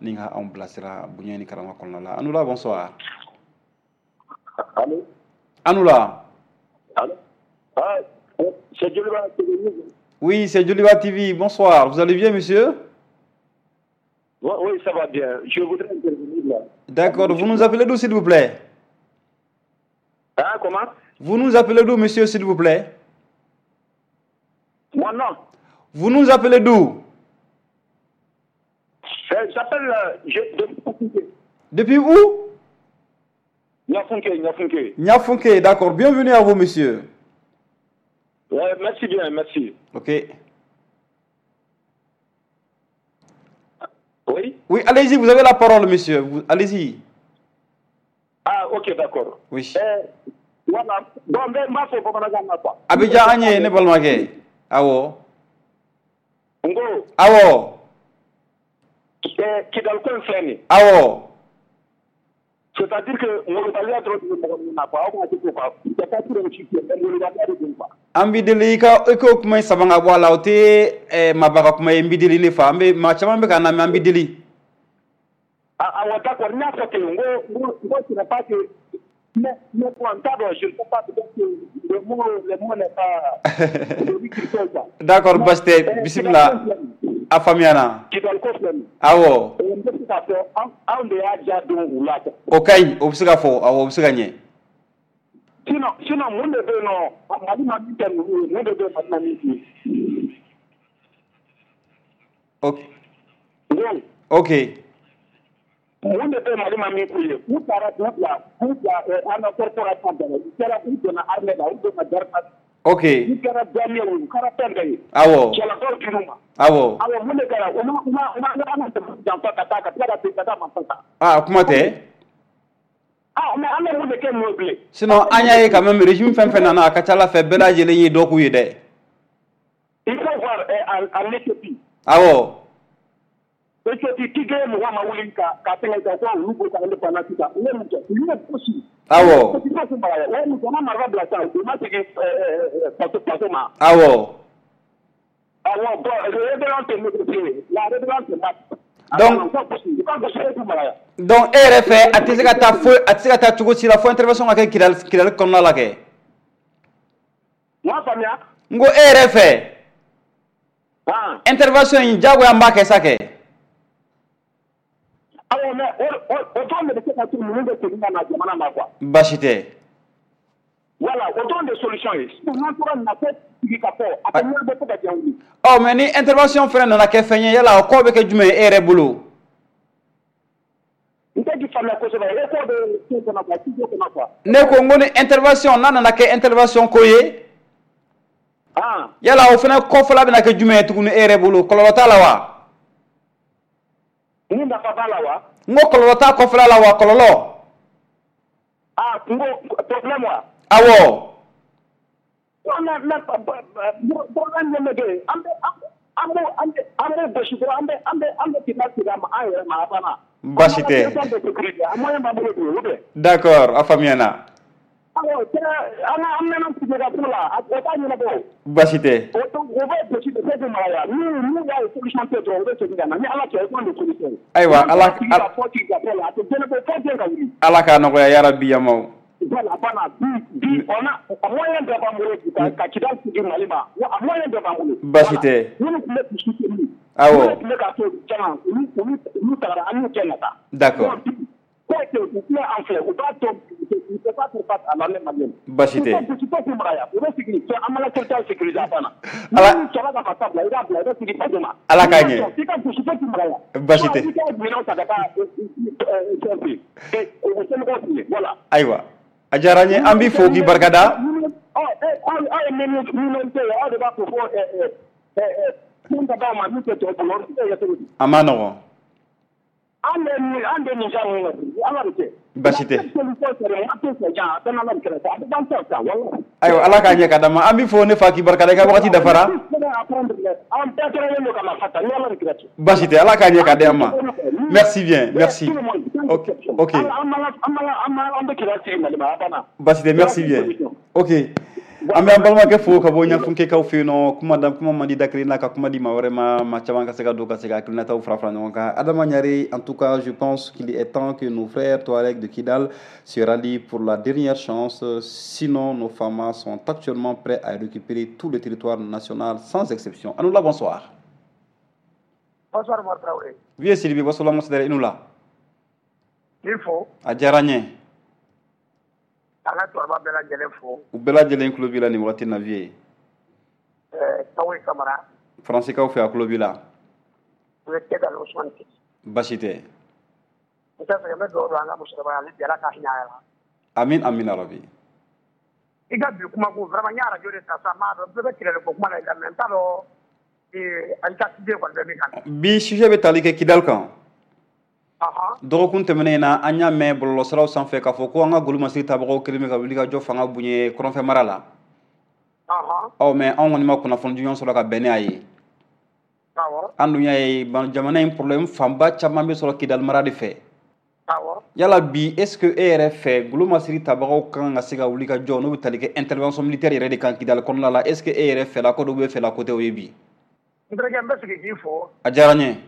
ni ka anw bilasira bonya ni karama kɔnɔna la. Anula, bonsoir. Allô? Anula. Allô? Ah, c'est Joliba T V. Oui, c'est Joliba T V. Bonsoir, vous allez bien, monsieur? Oui, oui, ça va bien. Je voudrais intervenir là. D'accord, vous nous appelez d'où, s'il vous plaît? Ah, comment? Vous nous appelez d'où, monsieur, s'il vous plaît? Moi, non. Vous nous appelez d'où? Euh, J'appelle euh, je- de Depuis où? Niafunke, Niafunke. Niafunke, d'accord. Bienvenue à vous, monsieur. Ouais, merci bien, merci. Ok. Oui? Oui, allez-y, vous avez la parole, monsieur. Vous- Allez-y. Ah, ok, d'accord. Oui. Euh, voilà. Bon, mais moi, c'est bamanankan na quoi. A bɛ diya an ye, ne balimakɛ. Awɔ. N ko, Awɔ. eh, Kidal ko in filɛ nin ye. Awɔ. C'est-à-dire que molobaliya dɔrɔn de bɛ mɔgɔ min na quoi. Aw b'a kɛ quoi. C'est pas pour aussi mais molobaliya de don quoi. An b'i deli, i ka i k'o kuma in sama ka bɔ a la. O tɛ eh, maaba ka kuma ye. N b'i deli, ne fa. An bɛ maa caman bɛ ka lamɛn, an b'i deli. Ah, ah, ouais, d'accord. N y'a fɔ ten, n ko, n ko, n ko ce n'est pas que mais, mais bon, n t'a dɔn, je ne sais pas, peut-être que le mot, le mot n'est pas celui qu'il faut, quoi. D'accord, basi tɛ. Eh, Bisimila. Kidal ko filɛ nin ye. A faamuyana. Kidal ko filɛ nin ye. Awɔ. Eh, n bɛ se k'a fɔ an anw de y'a ja don u la quoi. O ka ɲi, o bɛ se ka fɔ. Awɔ, o bɛ se ka ɲɛ. Sinon, sinon mun de bɛ yen nɔ, Mali ma min kɛ ninnu ye, mun de bɛ yen Mali ma min k'u ye? Ok. N ko, Ok. mun de bɛ Mali ma min k'u ye? U taara k'u bila k'u bila ɛ, an ka corporation bɛɛ la, u kɛra, u donna armée la, u donna garde, Ok. u kɛra douanier ye, u kɛra fɛn bɛɛ ye. Awɔ. Cɛlakaw dir'u ma. Awɔ. Awɔ, mun de kɛra? U ma u ma u ma an ka jamana janfa ka taa ka tila ka segin ka taa marifa ta. Ah, kuma tɛ. Ah, mais an bɛ mun de kɛ ninnu ye bilen? Sinon an y'a ye quand même, régime fɛn fɛn nana, a ka ca ala fɛ, bɛɛ lajɛlen ye dɔ k'u ye dɛ. Il faut voir eh, en en Éthiopie. Awɔ. Éthiopie, Tigray mɔgɔ ma wuli ka ka fɛngɛ kɛ ko olu b'o ka indépendance ta. U ye mun kɛ? U y'u gosi. Awɔ. Parce que k'u mara ye. O ye mun kɛ? U ma marifa bila sisan, u ma segin ɛɛ faso faso ma. Awɔ. Awɔ, bon, rébellion tɛ négocier. La rébellion tɛ battre. Donc- U ka gosi, u ka gosi e k'u mara. Donc e yɛrɛ fɛ, a tɛ se ka taa foyi, a tɛ se ka taa cogo si la fo intervention ka kɛ Kidali, Kidali kɔnɔna la kɛ. N m'a faamuya. N ko e yɛrɛ fɛ, Han. intervention in, diyagoya n b'a kɛ sa kɛ. Awɔ, mais o o o dɔrɔn de bɛ se ka to ninnu bɛ segin ka na jamana ma quoi. Baasi tɛ. Voilà, o dɔrɔn de solution ye. Sinon n'an tora nin na fo sigi ka fɔ, a tɛ ɲɛnabɔ fo ka diɲɛ wuli. Ɔ, mais ni intervention fɛnɛ nana kɛ fɛn ye, yala o kɔ bɛ kɛ jumɛn ye e yɛrɛ bolo? N tɛ k'i faamuya kosɛbɛ. E ko bɛ fɛn kɔnɔ quoi, studio kɔnɔ quoi. Ne ko n ko ni intervention n'a nana kɛ intervention ko ye, Han. yala o fɛnɛ kɔfɛla bɛna kɛ jumɛn ye tuguni e yɛrɛ bolo? Kɔlɔlɔ t'a la wa? Ni nafa b'a la wa? N ko kɔlɔlɔ t'a kɔfɛla la wa, kɔlɔlɔ? Ah, n ko problème wa? Awɔ. Non, mais mais problème min bɛ kɛ yen, an bɛ an b'o an bɛ an b'o gosi dɔrɔn, an bɛ an bɛ an bɛ kita sigi a ma an yɛrɛ ma, a banna. Baasi tɛ. An ka territoire bɛ sécuriser, a moyen b'an bolo bi, ou bien? D'accord, a faamuyana. Awɔ, cɛ, an ka an mɛnna sigi ka ko la, a o t'a ɲɛnabɔ. Baasi tɛ. O o bɛ gosi de fo k'u mara yan. N'u n'u y'a ye solution tɛ dɔrɔn, u bɛ segin ka na. Ni Ala cɛ, o t'anw de solution ye. Ayiwa, Ala Sigi ka fɔ sigi ka fɔ la, a tɛ ɲɛnabɔ fo diɲɛ ka wuli. Ala k'a nɔgɔya yarabi yamaw. Voilà, voilà. Bi, bi, on a, a moyen bɛɛ b'an bolo bi ka ka Kidali sigi Mali ma. Wa a moyen bɛɛ b'an bolo. Baasi tɛ. Minnu tun bɛ k'u soutenir. Awɔ. Minnu tun bɛ k'a to caman, olu olu olu tagara, an y'u kɛ na taa. D'accord. Donc, bi, ko que u filɛ an filɛ, u b'a to Il ne peut pas faire face à l'armée malienne. Basi tɛ. Tu peux k'u mara yan, u bɛ sigi an mana territoire sécuriser a banna. Ala Ni sɔrɔ ka marifa bila, i b'a bila, i bɛ segin faso ma. Ala k'a ɲɛ. I ka gosi fo k'u mara yan. Basi tɛ. I ka minɛnw ta ka taa fɛn fɛ yen. O somɔgɔw fɛ yen, voilà. Ayiwa, a diyara n ye, an b'i fo k'i barikada. Aw ye minorité ye, aw de b'a fɔ ko min ka d'aw ma min tɛ tɔw bolo, o bɛ se ka kɛ cogo di? A ma nɔgɔn. An bɛ nin an bɛ nin genre ninnu na, Ala de cɛ. Basi tɛ. Ayiwa Ayiwa, Ala k'a ɲɛ ka d'an ma. An b'i fo ne fa k'i barikada, i ka wagati dafara. An bɛɛ kɛrɛnnen don ka marifa ta ni Ala de kɛra cɛ. Basi tɛ, Ala k'a ɲɛ ka d'an ma. Merci bien, merci. Ok, ok. An bɛ kɛlɛ sigi Mali ma, a banna. Basi tɛ, merci bien. Ok. An bɛ an balimakɛ fo ka bɔ Ɲafunkekaw fɛ yen nɔ. Kuma da kuma man di da kelen na ka kuma di maa wɛrɛ ma, maa caman ka se ka don ka se ka hakilinataw fara fara ɲɔgɔn kan. Adama Ɲare, en tout cas, je pense qu'il est temps que nos frères Touaregs de Kidal se rallient pour la dernière chance, sinon nos FAMa sont actuellement prêts à récupérer tout le territoire national sans exception. Anoula, bonsoir. Bonsoir, Omar Traoré. Vieux Sylvie, bonsoir, Monsidere Inoula. Il faut. A diyara n ye. An ka cɛkɔrɔba bɛɛ lajɛlen fo. U bɛɛ lajɛlen tulo b'i la nin wagati in na, vieux. Ɛɛ Tawoyi Kamara. Faransikaw fɛ, a tulo b'i la. U ye Kɛdali Usumani Titi. Basi tɛ. N tɛ fɛ, n bɛ dugawu don an ka musokɔrɔba ye, ale bi Ala ka hinɛ a la. Amin, amin rabi. I ka bi kuma ko vraiment, n ye arajo de ta sa, n m'a dɔn bɛɛ bɛ kɛlɛ ko kuma la mais n t'a dɔn ee i ka sujet kɔni bɛ min kan. Bi sujet bɛ tali kɛ Kidal kan. Dɔgɔkun tɛmɛnen in na, an y'a mɛn bɔlɔlɔsiraw sanfɛ k'a fɔ ko an ka golomasiri tabagaw kɛlen bɛ ka wuli ka jɔ fanga bonya kɔrɔnfɛ mara la. Ɔ mais anw kɔni ma kunnafoni jɔnjɔn sɔrɔ ka bɛn ni a ye. An dun y'a ye jamana in problème fanba caman bɛ sɔrɔ Kidal mara de fɛ. Yala bi, est ce que e yɛrɛ fɛ, golomasiri tabagaw kan ka se ka wuli ka jɔ n'o bɛ tali kɛ intervention militaire yɛrɛ de kan Kidal kɔnɔna la, est ce que e yɛrɛ fɛla ko dɔw bɛ fɛla ko tɛ o ye bi? N terikɛ, n bɛ segin k'i fo. A diyara n ye.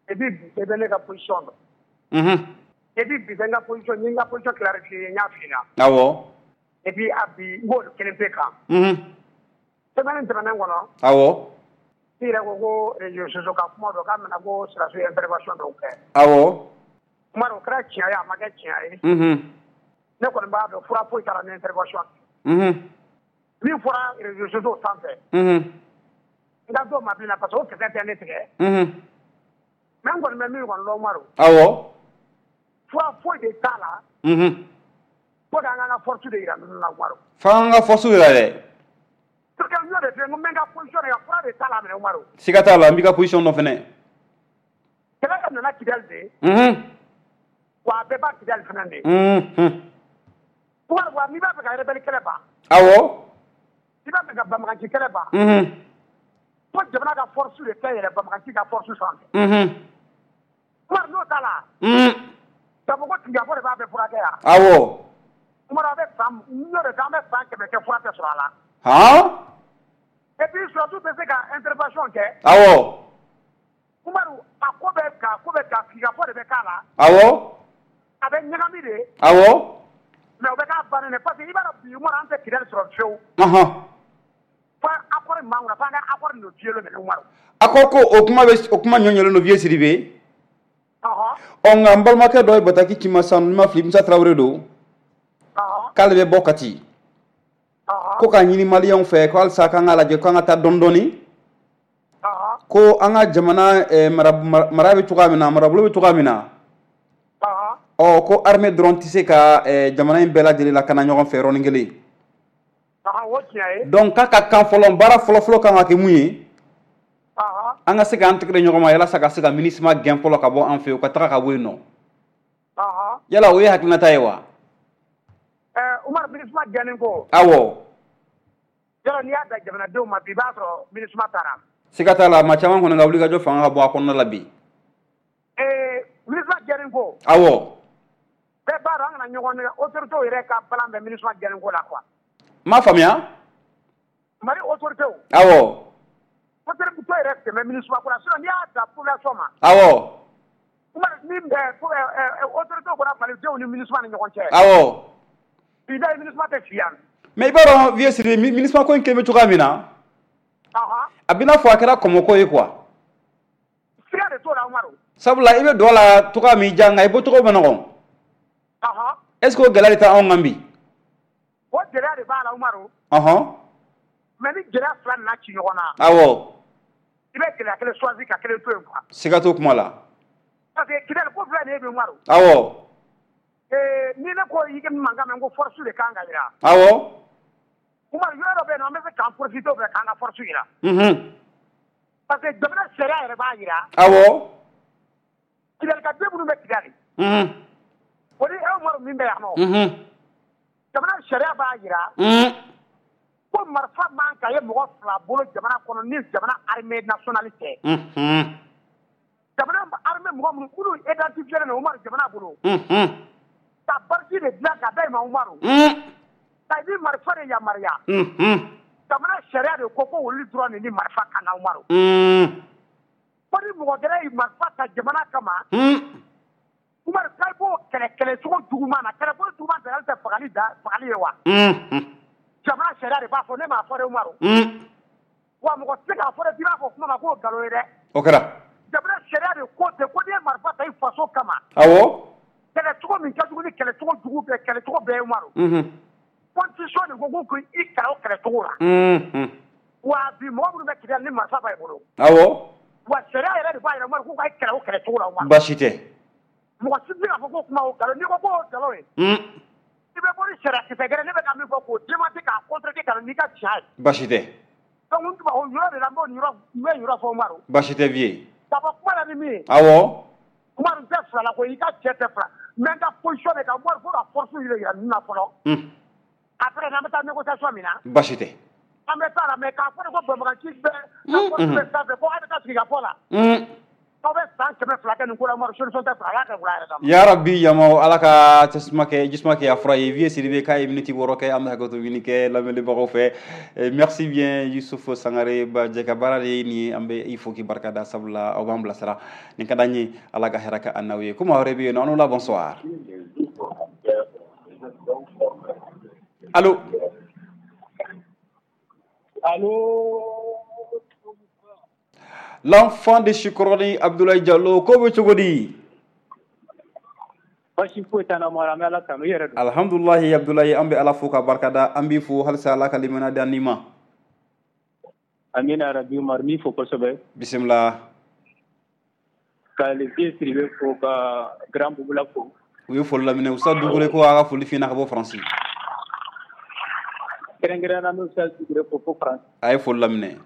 Et puis bi bɛ ne ka position dɔn. Mhm. Et puis bi bɛ n ka position, n ye n ka position clarifier, n y'a f'i ɲɛna. Awɔ. Et puis a bi n b'o kelen pe kan. Mhm. Semaine tɛmɛnen kɔnɔ. Awɔ. I yɛrɛ ko ko réseaux sociaux ka kuma dɔ k'a mɛna ko sɔrɔdasiw ye intervention dɔw kɛ. Awɔ. Kuma dɔ, o kɛra tiɲɛ ye, a ma kɛ tiɲɛ ye. Mhm. Ne kɔni b'a dɔn fura foyi t'a la ni intervention. Mhm. Min fɔra réseaux sociaux sanfɛ. Mhm. N ka dɔw ma bilen parce que o kisɛ tɛ ne tigɛ. Mhm. Mais n kɔni bɛ min kɔni dɔn, Umaru. Awɔ. Fura foyi de t'a la. Mhm. Fo k'an ka force de yira ninnu na, Umaru. F'an ka force yira dɛ. Parce que n y'o de f'i ye, n ko n bɛ n ka position de kan, fura de t'a la minɛ, Umaru. Siga t'a la, n b'i ka position dɔn fɛnɛ. Kɛlɛ ka nana Kidali de. Mhm. Wa a bɛɛ b'a Kidali fɛnɛ de. Mhm. Umaru, wa n'i b'a fɛ ka rebelle kɛlɛ ban. Awɔ. N'i b'a fɛ ka banbagaci kɛlɛ ban. Mhm. Fo jamana ka force de kɛ yɛrɛ banbagaci ka force sanfɛ. Mhm. Umaru, n'o t'a la. Mhm. K'a fɔ ko tigafɔ de b'a bɛɛ furakɛ yan. Awɔ. Umaru, a bɛ san, n y'o de fɔ, an bɛ san kɛmɛ kɛ fura tɛ sɔrɔ a la. Han? Et puis surtout bɛ se ka intervention kɛ. Awɔ. Umaru, a ko bɛ ka ko bɛ ka sigikafɔ de bɛ k'a la. Awɔ. A bɛ ɲagami de. Awɔ. Mais o bɛ k'a bannen de parce que i b'a dɔn bi, Umaru, an tɛ Kidali sɔrɔ fiyewu. Ɔhɔn. Fo accord min b'an kunna, f'an ka accord nin don fiyewu minɛ, Umaru. Accord ko o kuma bɛ o kuma ɲɔɲɔlen don, vieux Sidibe. Ɔhɔn. Ɔ nka n balimakɛ dɔ ye bataki ci ma sisan, n ma fili, Musa Tarawele don. Ɔhɔn. K'ale bɛ bɔ Kati. Ɔhɔn. Ko k'a ɲini maliyɛnw fɛ ko halisa k'an k'a lajɛ k'an ka taa dɔɔni dɔɔni. Ɔhɔn. Ko an ka jamana eh, mara mara bɛ cogoya min na, marabolo bɛ cogoya min na. Ɔhɔn. Ɔ ko armée dɔrɔn tɛ se ka eh, jamana in bɛɛ lajɛlen lakana ɲɔgɔn fɛ yɔrɔnin kelen. Ɔhɔn, o tiɲɛ ye. Donc k'a ka kan fɔlɔ, baara fɔlɔ-fɔlɔ kan ka kɛ mun ye? Ɔhɔn. An ka se k'an tɛgɛ di ɲɔgɔn ma yalasa ka se ka MINUSMA gɛn fɔlɔ ka bɔ an fɛ yen, u ka taga ka bɔ yen nɔ. Ɔhɔn. Yala o ye hakilinata ye wa? Ɛɛ Umaru, MINUSMA gɛnni ko. Awɔ. Yɔrɔ n'i y'a da jamanadenw ma bi, i b'a sɔrɔ MINUSMA taara. Siga t'a la, maa caman kɔni ka wulikajɔ fanga ka bɔ a kɔnɔna la bi. Ee MINUSMA gɛnni ko. Awɔ. Bɛɛ b'a dɔn an kana ɲɔgɔn nɛgɛ, autorités yɛrɛ ka balan bɛ MINUSMA gɛnni ko la quoi. N m'a faamuya. Mali autorités. Awɔ. Autorités yɛrɛ tɛmɛ MINUSMA ko la, sinon n'i y'a da population ma. Awɔ. Umaru, ni ɛ autorités bɔra malidenw ni MINUSMA ni ɲɔgɔn cɛ. Awɔ. Bi da MINUSMA tɛ fi yan. Mais i b'a dɔn, vieux Sidibe, MINUSMA ko in kɛ bɛ cogoya min na. Ɔhɔn. A bɛ n'a fɔ a kɛra kɔmɔko ye quoi. Siga de t'o la, Umaru. Sabula i bɛ don a la cogoya min diya, nka i bɔcogo ma nɔgɔn. Ɔhɔn. Est-ce que o gɛlɛya de tɛ anw kan bi? O gɛlɛya de b'a la Umaru. Ɔhɔn. Mais ni gɛlɛya fila nana ci ɲɔgɔn na. Awɔ. I bɛ gɛlɛya kelen choisi ka kelen to yen quoi. Siga t'o kuma la. Parce que Kidali ko filɛ nin ye bi Umaru. Awɔ. Ee ni ne ko i ka mankan mɛn ko force de kan ka jira. Awɔ. Umaru yɔrɔ dɔ bɛ yen nɔ an bɛ se k'an profiter o fɛ k'an ka force jira. Unhun. Parce que jamana sariya yɛrɛ b'a jira. Awɔ. Kidali ka den minnu bɛ Kidali. Unhun. O ni e Umaru min bɛ yan nɔ. Unhun. Jamana sariya b'a jira. Unhun. Ko marifa man ka ye mɔgɔ fila bolo jamana kɔnɔ ni jamana armée nationale tɛ. Unhun. Jamana armée mɔgɔ minnu minnu identifié len don Umaru jamana bolo. Unhun. Ka bariki de dilan ka da i ma Umaru. Un. Ka i ni marifa de yamaruya. Unhun. Jamana sariya de ko ko olu dɔrɔn de ni marifa ka kan Umaru. Un. Ko ni mɔgɔ gɛrɛ ye marifa ta jamana kama. Un. Umaru k'a b'o kɛlɛ kɛlɛcogo juguman na, kɛlɛcogo juguman tɛ hali tɛ fagali da fagali ye wa. Unhun. Jamana sariya de b'a fɔ, ne m'a fɔ dɛ Umaru. Un. Wa mɔgɔ tɛ se k'a fɔ dɛ k'i b'a fɔ kuma ma k'o nkalon ye dɛ. O kɛra. Jamana sariya de ko ten ko n'i ye marifa ta i faso kama. Awɔ. Kɛlɛcogo min ka jugu ni kɛlɛcogo jugu bɛɛ kɛlɛcogo bɛɛ ye Umaru. Unhun. Constitution de ko ko k'i kɛlɛ o kɛlɛcogo la. Unhun. Wa bi mɔgɔ minnu bɛ Kidali ni marifa b'a bolo. Awɔ. Wa sariya yɛrɛ de b'a jira Umaru k'u ka kɛlɛ o kɛlɛcogo la Umaru. Baasi tɛ. Mɔgɔ si tɛ se k'a fɔ ko kuma o nkalon, n'i ko k'o nkalon ye. Un. I bɛ bɔ ni sariya kisɛ gɛrɛ ne bɛ ka min fɔ k'o démentir k'a contredire ka na n'i ka tiɲɛ ye. Baasi tɛ. Donc n tun b'a o yɔrɔ de la n b'o yɔrɔ n bɛ yɔrɔ fɔ Umaru. Baasi tɛ vieux. Ka bɔ kuma la ni min ye. Awɔ. Umaru n tɛ fila la koyi, i ka cɛ tɛ fila. Mais n ka position de kan Umaru fo ka force yɛrɛ yira ninnu na fɔlɔ. Un. Après n'an bɛ taa négociation min na. Baasi tɛ. An bɛ taa la mais k'a fɔ de ko banbagaci bɛɛ ka force bɛ sanfɛ ko an bɛ taa sigi ka fɔ la. Un. Aw bɛ san kɛmɛ fila kɛ nin ko la Umaru, solution tɛ sɔrɔ, Ala ka wula yɛrɛ d'a ma. Ya Rabbi yamaw Ala ka tasuma kɛ jisuma kɛ a fura ye. Vieux Sidibe k'a ye minute wɔɔrɔ kɛ, an bɛ hakɛto ɲini kɛ lamɛnbagaw fɛ. Merci bien Youssouf Sangare ba jɛ ka baara de ye nin ye, an bɛ i fo k'i barika da sabula aw b'an bilasira nin ka d'an ye. Ala ka hɛrɛ kɛ an n'aw ye. Ko maa wɛrɛ bɛ yen nɔ, an n'o la bonsoir. Allo. Allo. L'enfant de Chikoroni Abdoulaye Diallo, ko bɛ cogo di? Baasi foyi t'an na Umaru, an bɛ Ala tanu, i yɛrɛ dun? Alhamdulilahi Abdoulaye, an bɛ Ala fo ka barika da, an b'i fo halisa Ala ka limaniya d'an ni ma. Amina yarabi Umaru, n b'i fo kosɛbɛ. Bisimila. Ka le vieux Sidibe fo ka grand Bubula fo. U ye foli laminɛ, Ustaz Dugure ko a ka foli f'i ɲɛna ka bɔ Faransi. Kɛrɛnkɛrɛnnenya la n bɛ Ustaz Dugure fo fo Faransi. A ye foli laminɛ.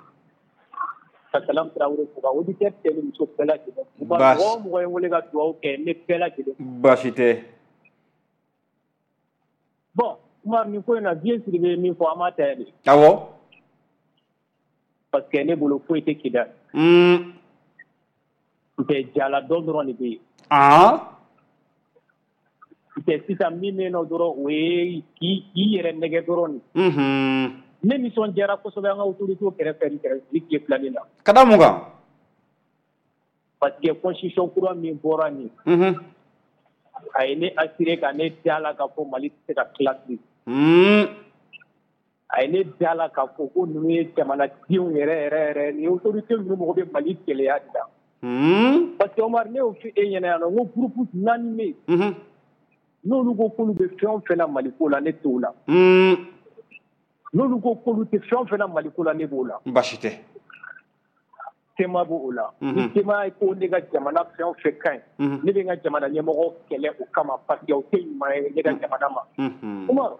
Ka Salam Traoré fo ka auditeur cɛ ni muso bɛɛ lajɛlen fo. Baasi. Mɔgɔ o mɔgɔ ye n wele ka dugawu kɛ, n bɛ bɛɛ lajɛlen fo. Baasi tɛ. Bon Umaru, nin ko in na vieux Sidibe ye min fɔ an b'a ta de. Awɔ. Parce que ne bolo foyi tɛ Kidali. Un. N tɛ jala dɔ dɔrɔn de bɛ yen. Ah. N tɛ sisan min bɛ yen nɔ dɔrɔn o ye k'i k'i yɛrɛ nɛgɛ dɔrɔn de. Unhun. Ne nisɔndiyara kosɛbɛ an ka autorité kɛrɛfɛ ni kɛrɛfɛ ni tile filanin na. Ka da mun kan? Parce que constitution kura min bɔra nin. Unhun. A ye ne assuré ka ne da la k'a fɔ Mali tɛ se ka tila bilen. Un. A ye ne da la k'a fɔ ko ninnu ye jamanadenw yɛrɛ yɛrɛ yɛrɛ nin autorité ninnu mago bɛ Mali gɛlɛya de la. Un. Parce que Omar, ne y'o fɔ e ɲɛna yan nɔ, n ko groupe naani bɛ yen. Unhun. N'olu ko k'olu bɛ fɛn o fɛn na Mali ko la, ne t'o la. Un. N'olu ko k'olu tɛ fɛn o fɛn na Mali ko la, ne b'o la. Baasi tɛ. Tema b'o la. Ni tema ko ne ka jamana fɛn o fɛn ka ɲi, ne bɛ n ka jamana ɲɛmɔgɔ kɛlɛ o kama parce que o tɛ ɲuman ye ne ka jamana ma. Umaru,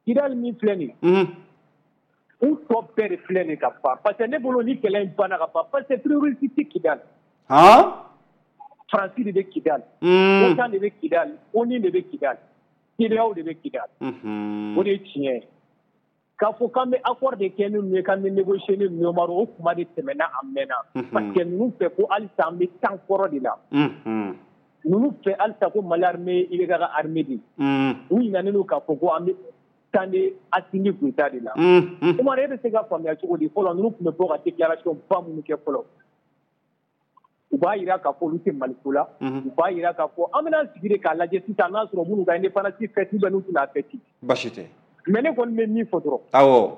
Kidali min filɛ nin ye, u tɔ bɛɛ de filɛ nin ka ban parce que ne bolo ni kɛlɛ in banna ka ban parce que terroriste tɛ Kidali. Han? Faransi de bɛ Kidali. OTAN de bɛ Kidali, ONU de bɛ Kidali, CEDEAO de bɛ Kidali. O de ye tiɲɛ ye. K'a fɔ k'an bɛ accord de kɛ ni ninnu ye, k'an bɛ négocier ni ninnu ye, Umaru, o kuma de tɛmɛna a mɛnna. Parce que ninnu fɛ ko halisa an bɛ temps kɔrɔ de la. Ninnu fɛ halisa ko Mali armée I B K ka armée de ye. U ɲinɛnen don k'a fɔ ko an bɛ temps de Assimi Goïta de la. Umaru, e bɛ se ka faamuya cogo di fɔlɔ ninnu tun bɛ bɔ ka déclaration ba minnu kɛ fɔlɔ. U b'a jira k'a fɔ olu tɛ Mali ko la. U b'a jira k'a fɔ an bɛna sigi de k'a lajɛ sisan n'a sɔrɔ minnu ka indépendance fête ou bien n'u tɛna fête. Baasi tɛ. Mais ne kɔni bɛ min fɔ dɔrɔn. Awɔ.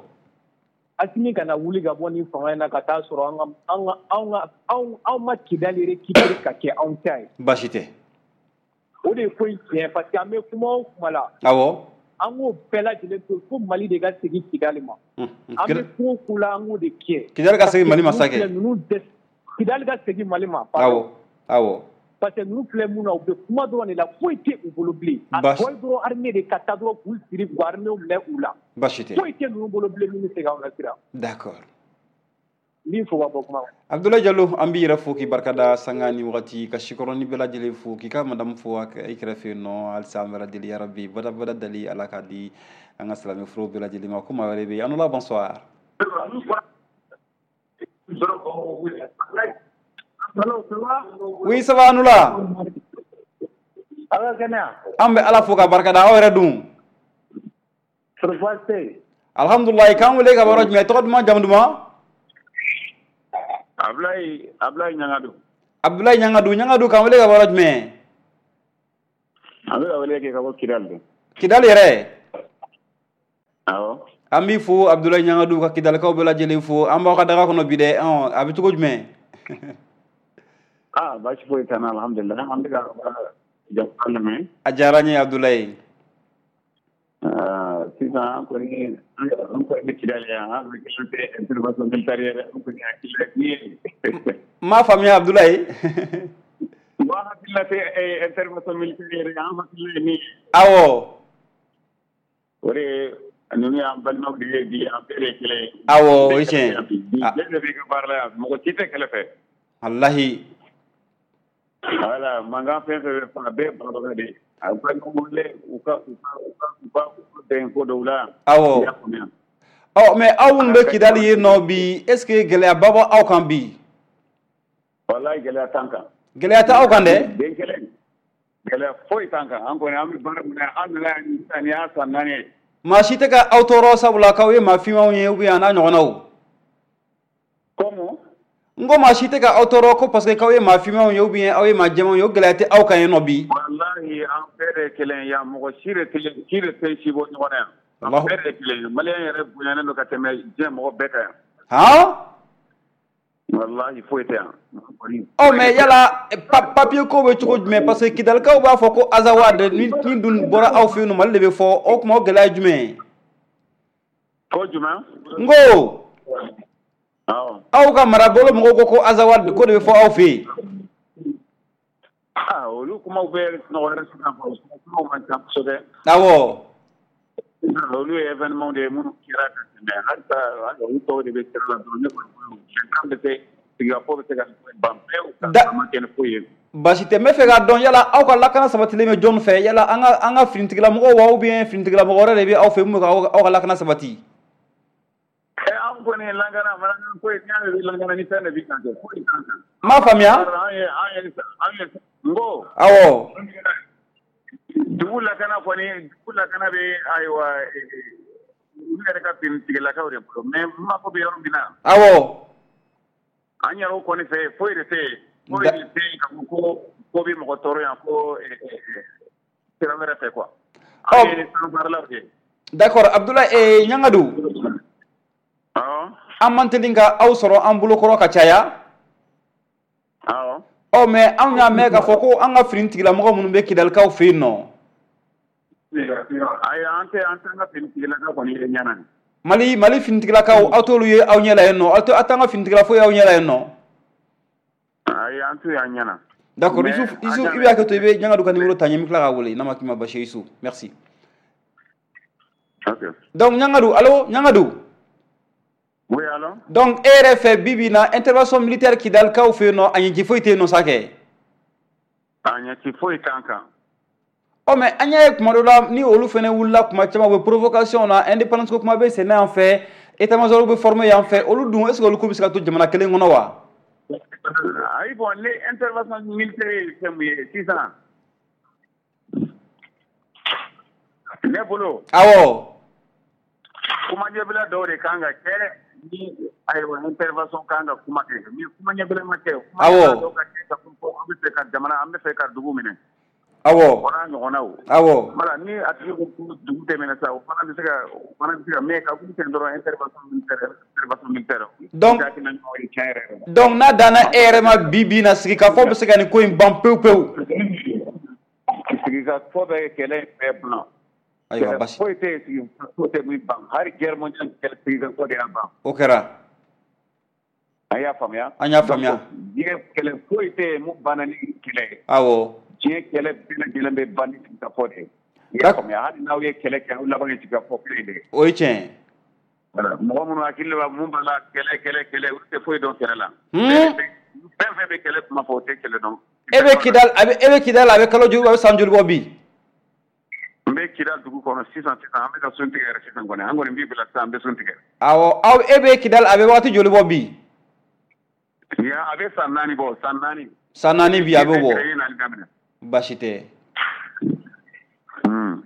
Assimi kana wuli ka bɔ nin fanga in na ka taa sɔrɔ an ka an ka anw ka anw anw ma Kidali récupérer ka kɛ anw ta ye. Baasi tɛ. O de ye ko in tiɲɛ parce que an bɛ kuma o kuma la. Awɔ. An k'o bɛɛ lajɛlen to fo Mali de ka segin Kidali ma. An bɛ ko o ko la an k'o de kɛ. Kidali ka segin Mali ma sa kɛ. Kidali ka segin Mali ma. Awɔ awɔ. Parce que ninnu filɛ mun na u bɛ kuma dɔrɔn de la foyi tɛ u bolo bilen. A tɔ ye dɔrɔn armée de ka taa dɔrɔn k'u siri k'u armée minɛ u la. Baasi tɛ. Foyi tɛ ninnu bolo bilen min bɛ se k'anw lasiran. D'accord. N b'i fo ka bɔ kuma la. Abdoulaye Diallo an b'i yɛrɛ fo k'i barikada sanga ni wagati ka sikɔrɔni bɛɛ lajɛlen fo k'i ka madame fo i kɛrɛfɛ yen nɔ halisa an bɛɛ lajɛlen yarabi badabada dali Ala k'a di an ka silamɛ furu bɛɛ lajɛlen ma ko maa wɛrɛ bɛ yen an bonsoir. Oui, ça va Anoula. An bɛ Ala fo ka barikada aw yɛrɛ dun. Alhamdulilayi k'an wele ka bɔ yɔrɔ jumɛn tɔgɔ duman jamu duman. Abdoulaye Abdoulaye Ɲangadu. Abdoulaye Ɲangadu Ɲangadu k'an wele ka bɔ yɔrɔ jumɛn. An bɛ ka wele kɛ ka bɔ Kidali de. Kidali yɛrɛ. Awɔ. An b'i fo Abdoulaye Ɲangadu ka Kidalikaw bɛɛ lajɛlen fo an b'aw ka daga kɔnɔ bi dɛ a bɛ cogo jumɛn. Ah baasi foyi t'an na alhamdulilah an bɛ ka jamu lamɛn. A diyara n ye Abdoulaye. Sisan an kɔni an kɔni bɛ Kidali yan an bɛ kɛ intervention militaire yɛrɛ an kɔni hakilila min ye. N m'a faamuya Abdoulaye. N ko an hakilila tɛ intervention militaire yɛrɛ an hakilila ye min ye. Awɔ. O de ye ninnu y'an balimaw de ye bi an bɛɛ de ye kelen ye. Awɔ o ye tiɲɛ ye. Bi bɛɛ de b'i ka baara la yan mɔgɔ si tɛ kɛlɛ fɛ. Walahi. Voilà mankan fɛn fɛn bɛ fan bɛɛ banabagatɔ de ye. A ka ɲɔgɔn wele u ka u ka u ka u ka bɛn ko dɔw la. Awɔ. Ɔ mais aw minnu bɛ Kidali yen nɔ bi est ce que gɛlɛyaba b'aw aw kan bi. Walahi gɛlɛya t'an kan. Gɛlɛya tɛ aw kan dɛ. Den kelen gɛlɛya foyi t'an kan an kɔni an bɛ baara min na an nana yan sisan nin y'a san naani ye. Maa si tɛ ka aw tɔɔrɔ sabula k'aw ye maa finmanw ye ou bien a n'a ɲɔgɔnnaw. Comment. N ko maa si tɛ ka aw tɔɔrɔ ko parce que k'aw ye maa finmanw ye ou bien aw ye maa jɛmanw ye o gɛlɛya tɛ aw kan yen nɔ bi. Walahi an bɛɛ de ye kelen ye yan mɔgɔ si de tɛ si de tɛ si bɔ ɲɔgɔn na yan. An bɛɛ de ye kelen ye maliyɛn yɛrɛ bonyanen don ka tɛmɛ diɲɛ mɔgɔ bɛɛ kan yan. Han. Walahi foyi tɛ yan. Ɔ mais yala papier ko bɛ cogo jumɛn parce que Kidalikaw b'a fɔ ko Azawad ni ni dun bɔra aw fɛ yen nɔ Mali de bɛ fɔ o tuma o gɛlɛya ye jumɛn ye. Ko jumɛn. N ko. Aw ka marabolo mɔgɔw ko ko Azawad ko de bɛ fɔ aw fɛ yen. Ah olu kumaw bɛ nɔgɔyara sisan kumaw man ca kosɛbɛ. Awɔ. Olu ye événement de ye minnu kɛra ka tɛmɛ halisa olu tɔw de bɛ sira la dɔrɔn ne kɔni bolo bɛnkan bɛ se sigikafɔ bɛ se ka ban pewu ka ma kɛ ni foyi ye. Baasi tɛ n bɛ fɛ k'a dɔn yala aw ka lakana sabatilen bɛ jɔn fɛ yala an ka an ka finitigilamɔgɔw wa ou bien finitigilamɔgɔ wɛrɛ de bɛ aw fɛ mun bɛ k'aw ka lakana sabati. An kɔni lakana mana foyi n'i y'a mɛn lakana ni fɛn de b'i kan kɛ foyi t'an kan. N m'a faamuya. An ye an ye an ye n ko. Awɔ. Dugu lakana kɔni dugu lakana bɛ ayiwa olu yɛrɛ ka finitigilakaw de bolo mais n mako bɛ yɔrɔ min na. Awɔ. An yɛrɛw kɔni fɛ foyi de tɛ yen foyi de tɛ yen ka fɔ ko ko bɛ mɔgɔ tɔɔrɔ yan ko sira wɛrɛ fɛ quoi. An ye sanfaralaw de ye. D'accord Abdoulaye Ɲangadu. An man teli ka aw sɔrɔ an bolokɔrɔ ka caya. Awɔ. Ɔ mais anw y'a mɛn k'a fɔ ko an ka finitigilamɔgɔ minnu bɛ Kidalikaw fɛ yen nɔ. Ayi an tɛ an t'an ka finitigilakaw kɔni ye ɲɛ na. Mali Mali finitigilakaw aw t'olu ye aw ɲɛ la yen nɔ aw tɛ aw t'an ka finitigila foyi aw ɲɛ la yen nɔ. Ayi an t'u y'an ɲɛ na. D'accord Issouf Issouf i bɛ hakɛ to i bɛ Ɲangadu ka numéro ta n ye n bɛ tila k'a wele n'a ma k'i ma basi ye Issouf merci. Ok. Donc Ɲangadu allo Ɲangadu. Oui, alors? Donc, e yɛrɛ fɛ bi bi in na intervention militaire Kidalikaw fɛ yen nɔ a ɲɛci foyi tɛ yen nɔ sa kɛ. A ɲɛci foyi t'an kan. Ɔ mais an y'a ye kuma dɔ la ni olu fana wulila kuma caman u bɛ provocation na indépendance ko kuma bɛ sen na yan fɛ état major bɛ former yan fɛ olu dun est ce que olu ko bɛ se ka to jamana kelen kɔnɔ wa. Ayi bon ni intervention militaire ye fɛn min ye sisan ne bolo. Awɔ. Kuma ɲɛbila dɔw de kan ka kɛ. Ni ayiwa intervention kan ka kuma kɛ ni kuma ɲɛbila ma kɛ. Awɔ. Dɔw ka kɛ ka fɔ ko an bɛ fɛ ka jamana an bɛ fɛ ka dugu minɛ. Awɔ. O n'a ɲɔgɔnnaw. Awɔ. Voilà ni a tigi ko ko dugu tɛ minɛ sa o fana bɛ se ka o fana bɛ se ka mais ka k'u ten dɔrɔn intervention militaire intervention militaire. Donc donc n'a danna e yɛrɛ ma bi bi in na sigikafɔ bɛ se ka nin ko in ban pewu pewu. Sigikafɔ bɛ kɛlɛ bɛɛ ban. Ayiwa, basi foyi tɛ yen, sigikafɔ tɛ min ban. Hali guerre mondiale kɛlɛ, sigikafɔ de y'a ban. O kɛra. An y'a faamuya. An y'a faamuya. Diɲɛ kɛlɛ foyi tɛ yen mun banna ni kɛlɛ ye. Awɔ. Diɲɛ kɛlɛ bɛɛ lajɛlen bɛ ban ni sigikafɔ de ye. I y'a faamuya, hali n'aw ye kɛlɛ kɛ, aw laban ye sigikafɔ kelen de ye. O ye tiɲɛ ye. Voilà, mɔgɔ minnu hakili b'a mun b'a la kɛlɛ kɛlɛ kɛlɛ, olu tɛ foyi dɔn kɛlɛ la. Fɛn fɛn bɛ kɛlɛ kuma fɔ, o tɛ kɛlɛ dɔn. E bɛ Kidal, a bɛ e bɛ Kidal, a bɛ kalo joli, a bɛ san joli bɔ bi? N bɛ Kidal dugu kɔnɔ sisan sisan, an bɛ ka sun tigɛ yɛrɛ sisan kɔni, an kɔni b'i bila sisan, an bɛ sun tigɛ. Awɔ, aw e bɛ Kidal, a bɛ waati joli bɔ bi? Ya, a bɛ san naani bɔ, san naani. San naani bi a bɛ bɔ. Baasi tɛ.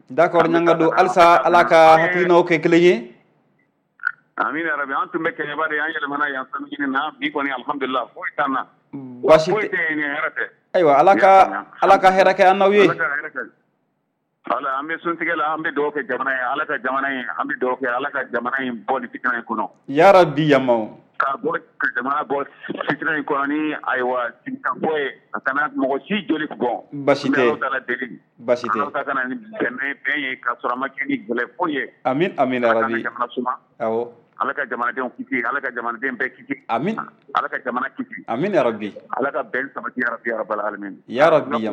D'accord, Ɲangado, halisa Ala ka hakilinaw kɛ kelen ye. Amina rabi, an tun bɛ Kɛɲɛba de, an yɛlɛmana yan sanu ɲini na bi kɔni, alhamdulillah, foyi t'an na. Baasi tɛ. Foyi tɛ yen, hɛrɛ tɛ. Ayiwa, Ala ka Ala ka hɛrɛ kɛ an n'aw ye. Ala ka hɛrɛ kɛ. Ala, an bɛ suntigɛ la, an bɛ dugawu kɛ jamana ye, Ala ka jamana in, an bɛ dugawu kɛ Ala ka jamana in bɔ nin fitina in kɔnɔ. Ya Rabbi yamaw. Ka bɔ ka jamana bɔ fitina in kɔnɔ ni ayiwa sigikafɔ ye, a kana mɔgɔ si joli bɔn. Baasi tɛ. Ala taala deli. Baasi tɛ. Ala ta kana ni bɛn bɛn ye ka sɔrɔ a ma kɛ ni gɛlɛ foyi ye. Amin amin ya Rabbi. Ala ka jamana suma. Awɔ. Ala ka jamanadenw kisi, Ala ka jamanaden bɛɛ kisi. Amin. Ala ka jamana kisi. Amin ya Rabbi. Ala ka bɛn sabati ya Rabbi ya Rabbal alamin. Ya Rabbi ya.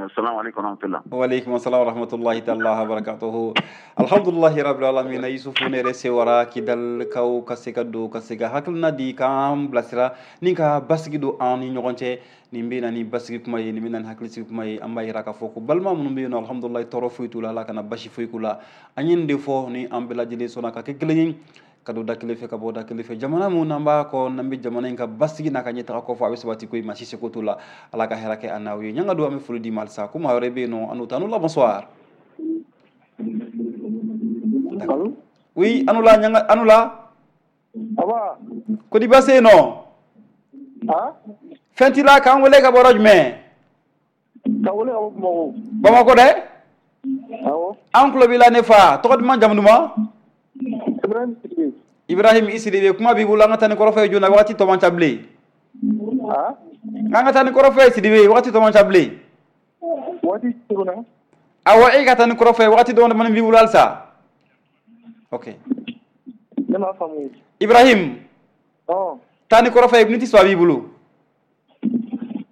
Assalamu alaikum wa rahmatullah. Wa alaikum assalam wa rahmatullahi ta'ala wa barakatuhu. Alhamdulillahi rabbil alamin. Yusufu ne yɛrɛ sewara Kidal kaw ka se ka don ka se ka hakilina di k'an bilasira ni ka basigi don an ni ɲɔgɔn cɛ. Nin bɛ na ni basigi kuma ye, nin bɛ na ni hakilisigi kuma ye. An b'a yira k'a fɔ ko balima minnu bɛ yen nɔ, alhamdulilayi, tɔɔrɔ foyi t'u la, Ala kana basi foyi k'u la. An ye nin de fɔ ni an bɛɛ lajɛlen sɔnna ka kɛ kelen ye, ka don da kelen fɛ, ka bɔ da kelen fɛ. Jamana mun n'an b'a kɔ, n'an bɛ jamana in ka basigi n'a ka ɲɛtaga kɔfɛ, a bɛ sabati ko maa si seko t'o la. Ala ka hɛrɛ kɛ an n'aw ye. Ɲanga don, an bɛ foli d'i ma halisa. Ko maa wɛrɛ bɛ yen nɔ, an n'o ta. Anula, bonsoir. Oui, Anula, ɲanga, Anula. Ko di baasi yen nɔ? Fɛn t'i la, k'an wele ka bɔ yɔrɔ jumɛn? Ka wele ka bɔ Bamakɔ. Bamakɔ dɛ? Awɔ. An tulo b'i la ne fa. Tɔgɔ duman, jamu duman? Ibrahim Sidibe. Ibrahim i Sidibe, kuma b'i bolo, an ka taa ni kɔrɔfɔ ye joona, waati tɔ man ca bilen. An ka taa ni kɔrɔfɔ ye Sidibe, waati tɔ man ca bilen. Waati tuguna? Awɔ, e ka taa ni kɔrɔfɔ ye, waati dama damani b'i bolo halisa. Ok. Ne m'a faamu. Ibrahim. Ɔn. Taa ni kɔrɔfɔ ye, miniti saba b'i bolo.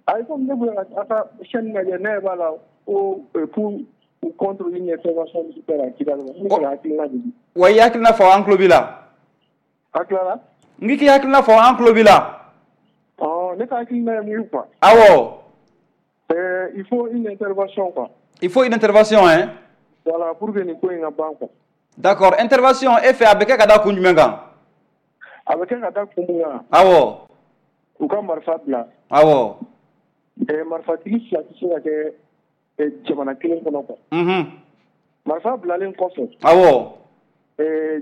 Ayi, comme ne bolo a ka chaîne lajɛ, ne b'a la ko pour ou contre une intervention militaire à Kidal. Ne ka hakilina de di. Wa i hakilina fɔ, an tulo b'i la. A tilala? N k'i k'i hakilina fɔ, an tulo b'i la. Ɔ, ne ka hakilina ye mun ye quoi? Awɔ. Euh, il faut une intervention quoi. Il faut une intervention hein? Voilà, pour que nin ko in ka ban quoi. D'accord, intervention e fɛ a bɛ kɛ ka da kun jumɛn kan? A bɛ kɛ ka da kun mun kan? Awɔ. U ka marifa bila. Awɔ. Marifatigi fila tɛ se ka kɛ jamana kelen kɔnɔ quoi. Unhun. Marifa bilalen kɔfɛ. Awɔ.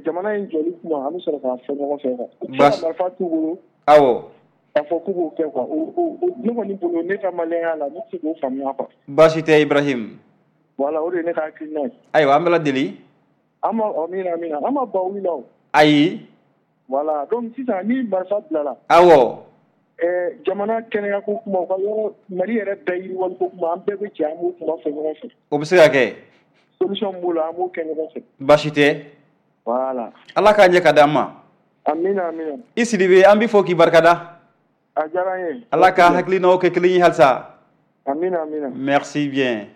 Jamana in jɔli kuma, an bɛ sɔrɔ k'a fɔ ɲɔgɔn fɛ quoi. Baasi marifa t'u bolo. Awɔ. K'a fɔ k'u b'o kɛ quoi. O o ne kɔni bolo, ne ka maliyɛnya la, ne tɛ se k'o faamuya quoi. Baasi tɛ Ibrahim. Voilà, o de ye ne ka hakilina ye. Ayiwa, an bɛ ladeli. An ma amina amina, an ma ban wuli la o. Ayi. Voilà, donc sisan ni marifa bilala. Awɔ. Jamana kɛnɛya ko kuma, u ka yɔrɔ Mali yɛrɛ bɛɛ yiriwali ko kuma, an bɛɛ bɛ jɛ an b'o kuma fɔ ɲɔgɔn fɛ. O bɛ se ka kɛ. Solution b'o la, an b'o kɛ ɲɔgɔn fɛ. Baasi tɛ. Voilà. Ala k'a ɲɛ ka d'an ma. Amina amina. I Sidibe, an b'i fo k'i barikada. A diyara n ye. Ala ka hakilinaw kɛ kelen ye halisa. Amina amina. Merci bien.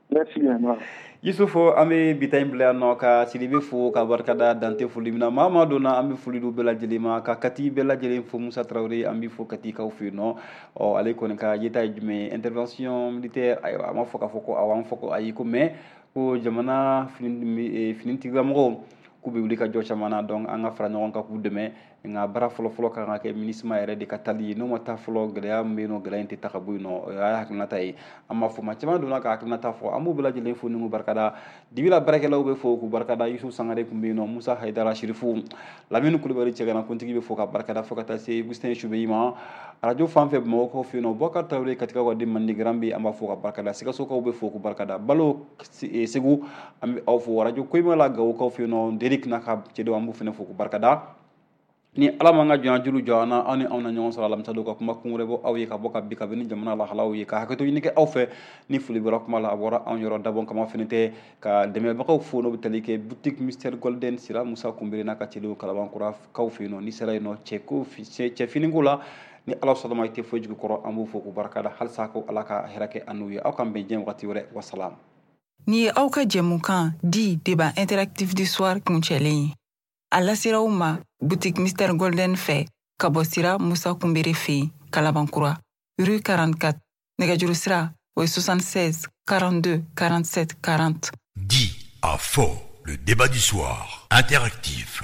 Merci bien. Yusufu, an bɛ bi ta in bila yan nɔ ka Sidibe fo ka barikada dante foli min na. Maa maa donna, an bɛ foli d'u bɛɛ lajɛlen ma, ka Kati bɛɛ lajɛlen fo. Musa Tarawele, an bɛ fo Katikaw fɛ yen nɔ. Ɔ, ale kɔni ka yeta ye jumɛn ye? Intervention militaire. Ayiwa, a ma fɔ k'a fɔ ko awɔ, an fɔ ko ayi ko mais ko jamana fini finitigilamɔgɔw k'u bɛ wuli ka jɔ caman na, donc an ka fara ɲɔgɔn kan k'u dɛmɛ. Nka baara fɔlɔ-fɔlɔ kan ka kɛ MINUSMA yɛrɛ de ka tali ye. N'o ma taa fɔlɔ, gɛlɛya min bɛ yen nɔ, gɛlɛya in tɛ ta ka bɔ yen nɔ. O y'a hakilinata ye. An b'a fɔ maa caman donna ka hakilinata fɔ, an b'u bɛɛ lajɛlen fo ni k'u barikada. Dibila baarakɛlaw bɛ fo k'u barikada. Yusuf Sangare tun bɛ yen nɔ, Musa Hayidara Sirifu, Lamini Kulubali cɛgana kuntigi bɛ fo ka barikada, fo ka taa se Gustin Subeyi ma. Arajo fan fɛ Bamakɔkaw fɛ yen nɔ, Bubakari Tarawele Katikaw ka den mandi garan bɛ, an b'a fo ka barikada. Sikasokaw bɛ fo k'u barikada. Balo Segu, an bɛ aw fo. Arajo Koyima la Gawokaw fɛ yen nɔ, Derek n'a ka cɛdenw, an b'u fana fo k'u barikada. Ni Ala m'an ka jɔnya juru jɔ an na, aw ni anw na ɲɔgɔn sɔrɔ alamisa don ka kuma kun wɛrɛ bɔ aw ye ka bɔ ka bi kabini jamana lahalaw ye, ka hakɛto ɲini kɛ aw fɛ ni foli bɔra kuma la, a bɔra anw yɔrɔ dabɔ kama fɛnɛ tɛ ka dɛmɛbagaw fo, n'o bɛ tali kɛ boutique Mister Golden Sira Musa Kunbere n'a ka cɛdenw Kalabankura kaw fɛ yen nɔ. N'i sera yen nɔ, cɛ ko cɛ finiko la, ni Ala sɔnna ma i tɛ foyi jigi kɔrɔ, an b'u fo k'u barika da halisa, ko Ala ka hɛrɛ kɛ an n'u ye. Aw k'an bɛn diɲɛ wagati wɛrɛ, wasalam. Nin ye aw ka jɛmukan di débat interactif du soir kuncɛlen ye. A lasera aw ma boutique Mister Golden fɛ ka bɔ Sira Musa Kunbere fɛ yen, Kalabankura, rue quarante-quatre. Nɛgɛjuru sira o ye soixante-seize quarante-deux quarante-sept quarante. Dit à faux, le débat du soir interactif.